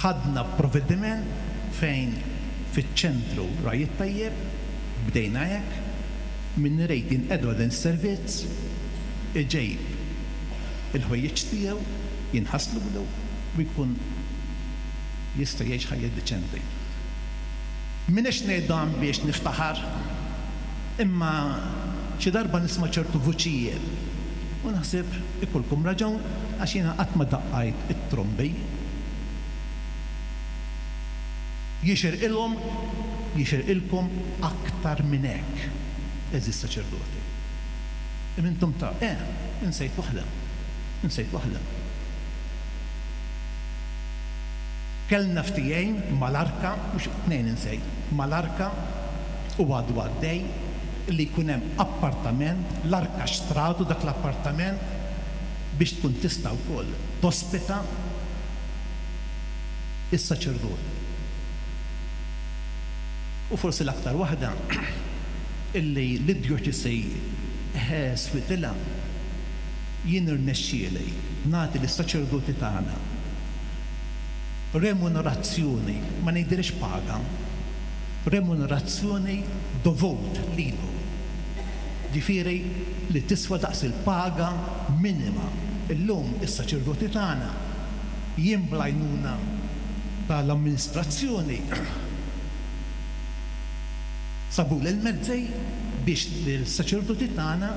Ħadna provvediment fejn fiċ-ċentru Ragħaj it-Tajjeb, bdejna hekk, min irid jinqeda dan is-servizz, iġib il-ħwejjeġ tiegħu, jinħaslulu u jkun jista' jgħix ħajja diċenti. M'iniex ngħid dan biex niftaħar, imma xi darba nisma' ċertu vuċijiet u naħseb ikollkom raġun għax jiena qatt ma daqqajt it-trombi. Jixirqilhom, jixirqilkom aktar minn hekk, għeżież saċerdoti. Imma intom ta', eh, insejt waħda, insejt waħda. Kellna ftehim mal-Arka, mhux tnejn insejt, mal-Arka u għadu għaddej li jkun hemm appartament, l-Arka xtratu dak l-appartament biex tkun tista' wkoll tospita is-saċerdoti. U forsi l-aktar waħda illi lid-djoċesi switilha, jien irnexxieli nagħti lis-saċerdoti tagħna remunerazzjoni, ma ngħidilhiex paga, remunerazzjoni dovut lilhom, ġifieri li tiswa daqs il-paga minima. Illum is-saċerdoti tagħna, jien bl-għajnuna tal-amministrazzjoni, sabuli l-mezzi biex lis-saċerdoti tagħna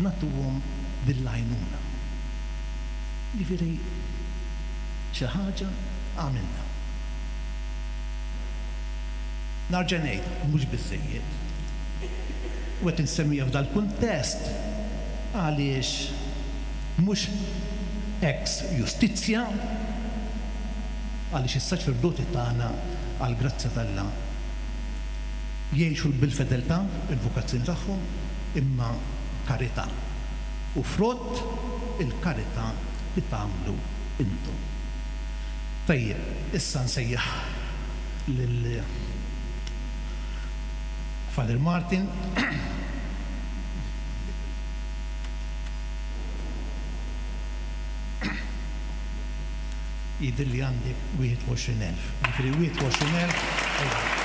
nagħtuhom din l-għajnuna. Jiġifieri xi ħaġa għamilna. Narġa' ngħid, mhux biżżejjed. U qed insemmiha f'dal-kuntest għaliex mhux ex justitia, għaliex is-saċerdoti tagħna għall-grazzja t'Alla jgħixu bil-fedeltà il-vokazzjoni tagħhom, imma karità u frott il-karità li tagħmlu intom. Tajjeb, issa nsejjaħ lil Father Martin. Jidhirli li għandek 21,000. Jiġifieri 21,000 ewro.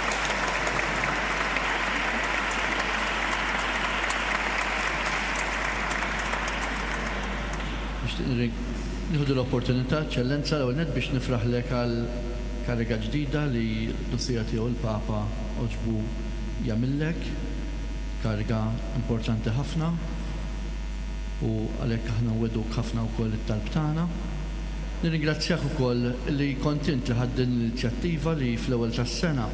Nixtieq nieħu din l-opportunità, Eċċellenza, l-ewwel nett biex nifraħlek għal kariga ġdida li l-Qdusija Tiegħu l-Papa għoġbu jagħmillek, kariga importanti ħafna u għalhekk aħna nwegħduk ħafna wkoll it-talb tagħna. Nirringrazzjak ukoll li kont int li ħadt din l-inizjattiva li fl-ewwel tas-sena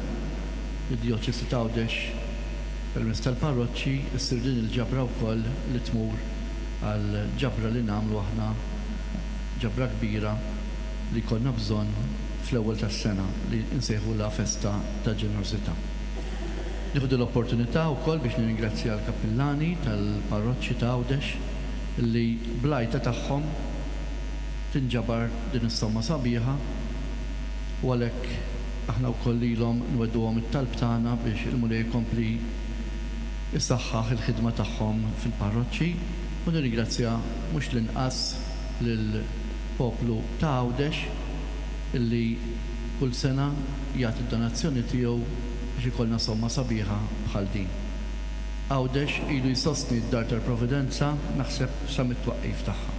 id-Djoċesi t'Għawdex permezz tal-parroċċi ssir din il-ġabra wkoll li tmur għal ġabra li nagħmlu aħna ġabra kbira li jkollna bżonn fl-ewwel tas-sena li nsejħulha festa ta' ġenerożità. Nieħu din l-opportunità wkoll biex nirringrazzja l-kappillani tal-parroċċi ta' Għawdex li bl-għajta tagħhom tinġabar din is-somma sabiħa u għalhekk aħna wkoll lilhom nwegħduhom it-talb tagħna biex il-Mulej ikompli jsaħħaħ il-ħidma tagħhom fil-parroċċi u nirringrazzja mhux l-inqas lill-poplu ta' Għawdex illi kull sena jagħti d-donazzjoni tiegħu biex ikollna somma sabiħa bħal din. Għawdex ilu jsostni d-Dar tal-Providenza naħseb sa mit-twaqqif tagħha.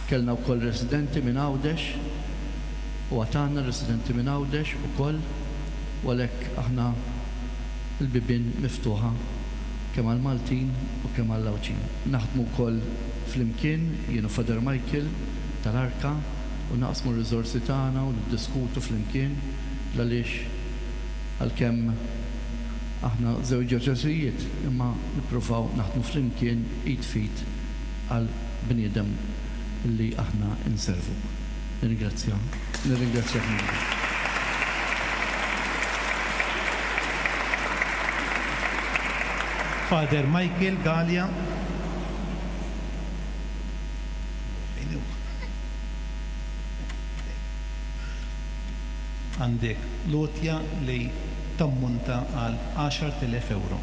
Kellna wkoll residenti minn Għawdex u għad għandna residenti minn Għawdex ukoll u għalhekk aħna l-bibien miftuħa kemm għall-Maltin u kemm għall-Għawdxin. Naħdmu wkoll flimkien jien u Father Michael tal-Arka u naqsmu r-riżorsi tagħna u niddiskutu flimkien l-għaliex għalkemm aħna żewġ djoċesijiet imma nippruvaw naħdmu flimkien id f'id għal bniedem li aħna nservu. Nirringrazzja, nirringrazzjak minn. Father Michael Galea. Għandek l-għotja li tammonta għal 10,000 ewro.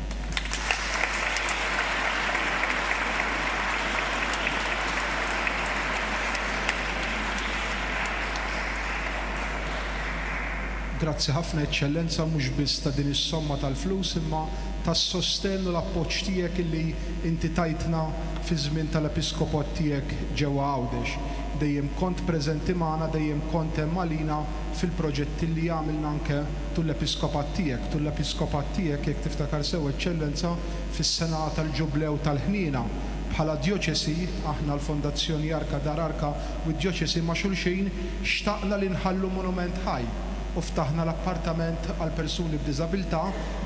Grazzi ħafna Eċċellenza mhux biss ta' din is-somma tal-flus imma tas-sostenn u l-appoġġ tiegħek illi inti tajtna fiż-żmien tal-Episkopot tiegħek ġewwa Għawdex. Dejjem kont preżenti magħna, dejjem kont hemm għalina fil-proġetti li għamilna anke tul l-Episkopat tiegħek. Tul l-Episkopat tiegħek, jekk tiftakar sew Eċċellenza, fis-sena tal-Ġublew tal-Ħniena, bħala Djoċesi, aħna l-Fondazzjoni Arka Dar Arka u d-Djoċesi ma' xulxin, xtaqna li nħallu monument ħaj u ftaħna l-appartament għal persuni b'diżabilità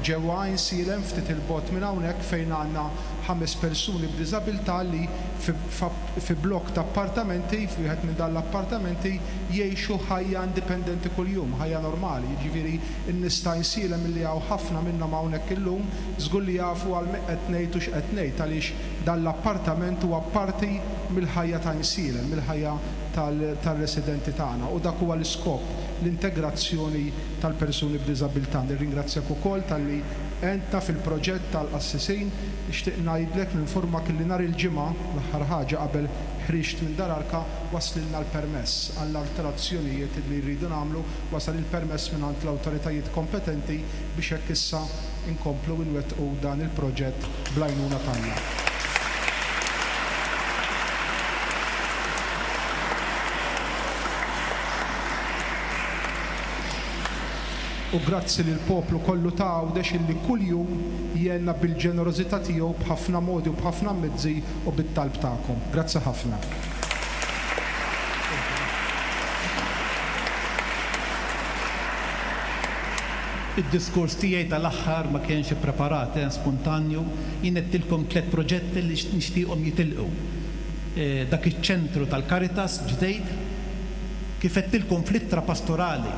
ġewwa Għajnsielem ftit 'il bogħod minn hawnhekk fejn għandna ħames persuni b'diżabilità li fi blokk ta' appartamenti, f'wieħed minn dan l-appartamenti, jgħixu ħajja indipendenti kuljum, ħajja normali. Jiġifieri n-nies ta' Għajnsielem li hawn ħafna minnhom hawnhekk illum, żgur li jafu għal min qed ngħid u x'qed ngħid għaliex dan l-appartament huwa parti mill-ħajja ta' Għajnsielem, mill-ħajja tar-residenti tagħna u dak huwa l-iskop, l-integrazzjoni tal-persuni b'diżabilità. Nirringrazzjak ukoll talli għentna fil-proġett tal-qassisin. Nixtieq ngħidlek, ninfurmak illi nhar il-Ġimgħa, l-aħħar ħaġa qabel ħriġt minn Dar Arka, waslilna l-permess għall-alterazzjonijiet li rridu nagħmlu, wasal il-permess mingħand l-awtoritajiet kompetenti biex hekk issa nkomplu nwettqu dan il-proġett bl-għajnuna t'Alla. U grazzi lill-poplu kollu ta' Għawdex illi kuljum jgħinna bil-ġenerożità tiegħu b'ħafna modi u b'ħafna mezzi u bit-talb tagħkom. Grazzi ħafna. Id-diskors tiegħi tal-aħħar ma kienx ippreparat, eh, spontanju. Jien għedtilkom tlett proġetti li nixtieqhom jitilqu. Dak iċ-ċentru tal-Caritas ġdeid, kif għedtilkom fl-ittra pastorali,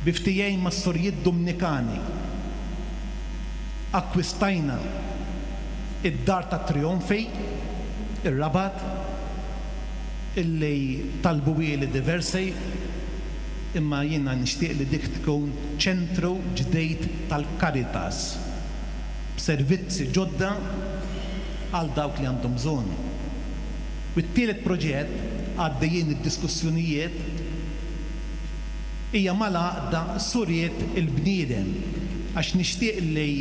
bi ftehim mas-Sorijiet Dumnikani, akkwistajna id-Dar tat-Trijonfi, ir-Rabat, illi talbuhieli diversi, imma jiena nixtieq li dik tkun ċentru ġdid tal-Caritas b'servizzi ġodda għal dawk li għandhom bżonn. U t-tielet proġett, għaddejjin id-diskussjonijiet, hija mal-Għaqda Suriet il-Bniedem għax nixtieq li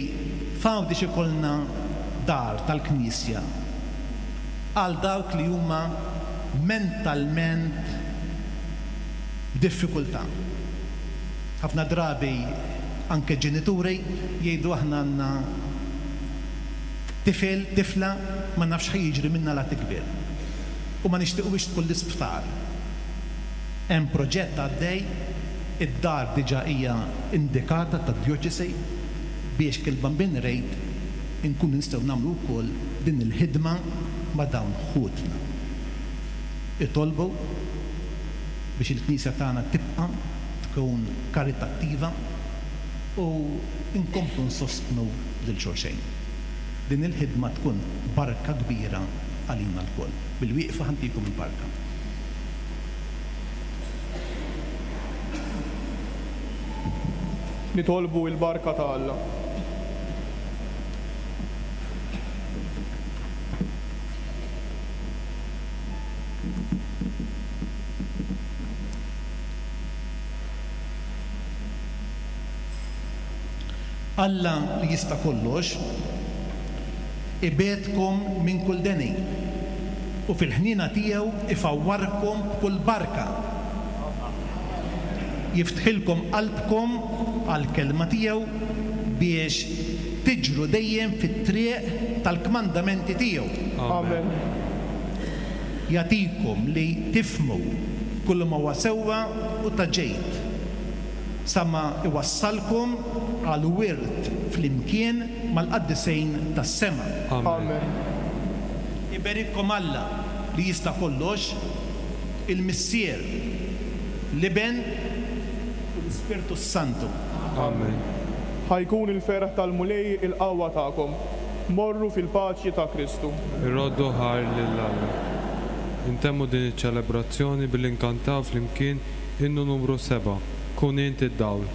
f'Għawdex ikollna dar tal-Knisja għal dawk li huma mentalment b'diffikultà. Ħafna drabi anke ġenituri jgħidu aħna għandna tifel, tifla, ma nafx x'ħa jiġri minnha la tikber. U ma nixtiquhiex tkun l-isptar. Hemm proġett għaddej, id-dar diġà hija indikata tad-djoċesi biex kif il-Bambin irid inkunu nistgħu nagħmlu wkoll din il-ħidma ma' dawn ħutna. Itolbu biex il-Knisja tagħna tibqa' tkun karitattiva u nkomplu nsostnu lil xulxejn. Din il-ħidma tkun barka kbira għalina lkoll. Bil-wieqfa ħa ntikom il-barka. Nitolbu il-barka ta' Alla. Alla li jista' kollox ibegħedkom minn kull deni u fil-ħniena tiegħu ifawwarkom b'kull barka. Jiftħilkom qalbkom għall-kelma tiegħu biex tiġru dejjem fit-triq tal-kmandamenti tiegħu. Amen. Jagħtikom li tifhmu kull ma huwa sewwa u ta' ġid, sa ma iwassalkom għal wirt flimkien mal-qaddisejn tas-sema. Amen. Iberikkom Alla li jista' kollox, il-Missier, l-Iben u l-Ispirtu s-Santu. Amen. Ħa jkun il-ferħ tal-Mulej il-qawwa tagħkom. Morru fil-paċi ta' Kristu. Irroddu ħajr lil Alla. Intemmu din iċ-ċelebrazzjoni billi nkantaw flimkien innu numru sebgħa, Kun Int id-Dawl.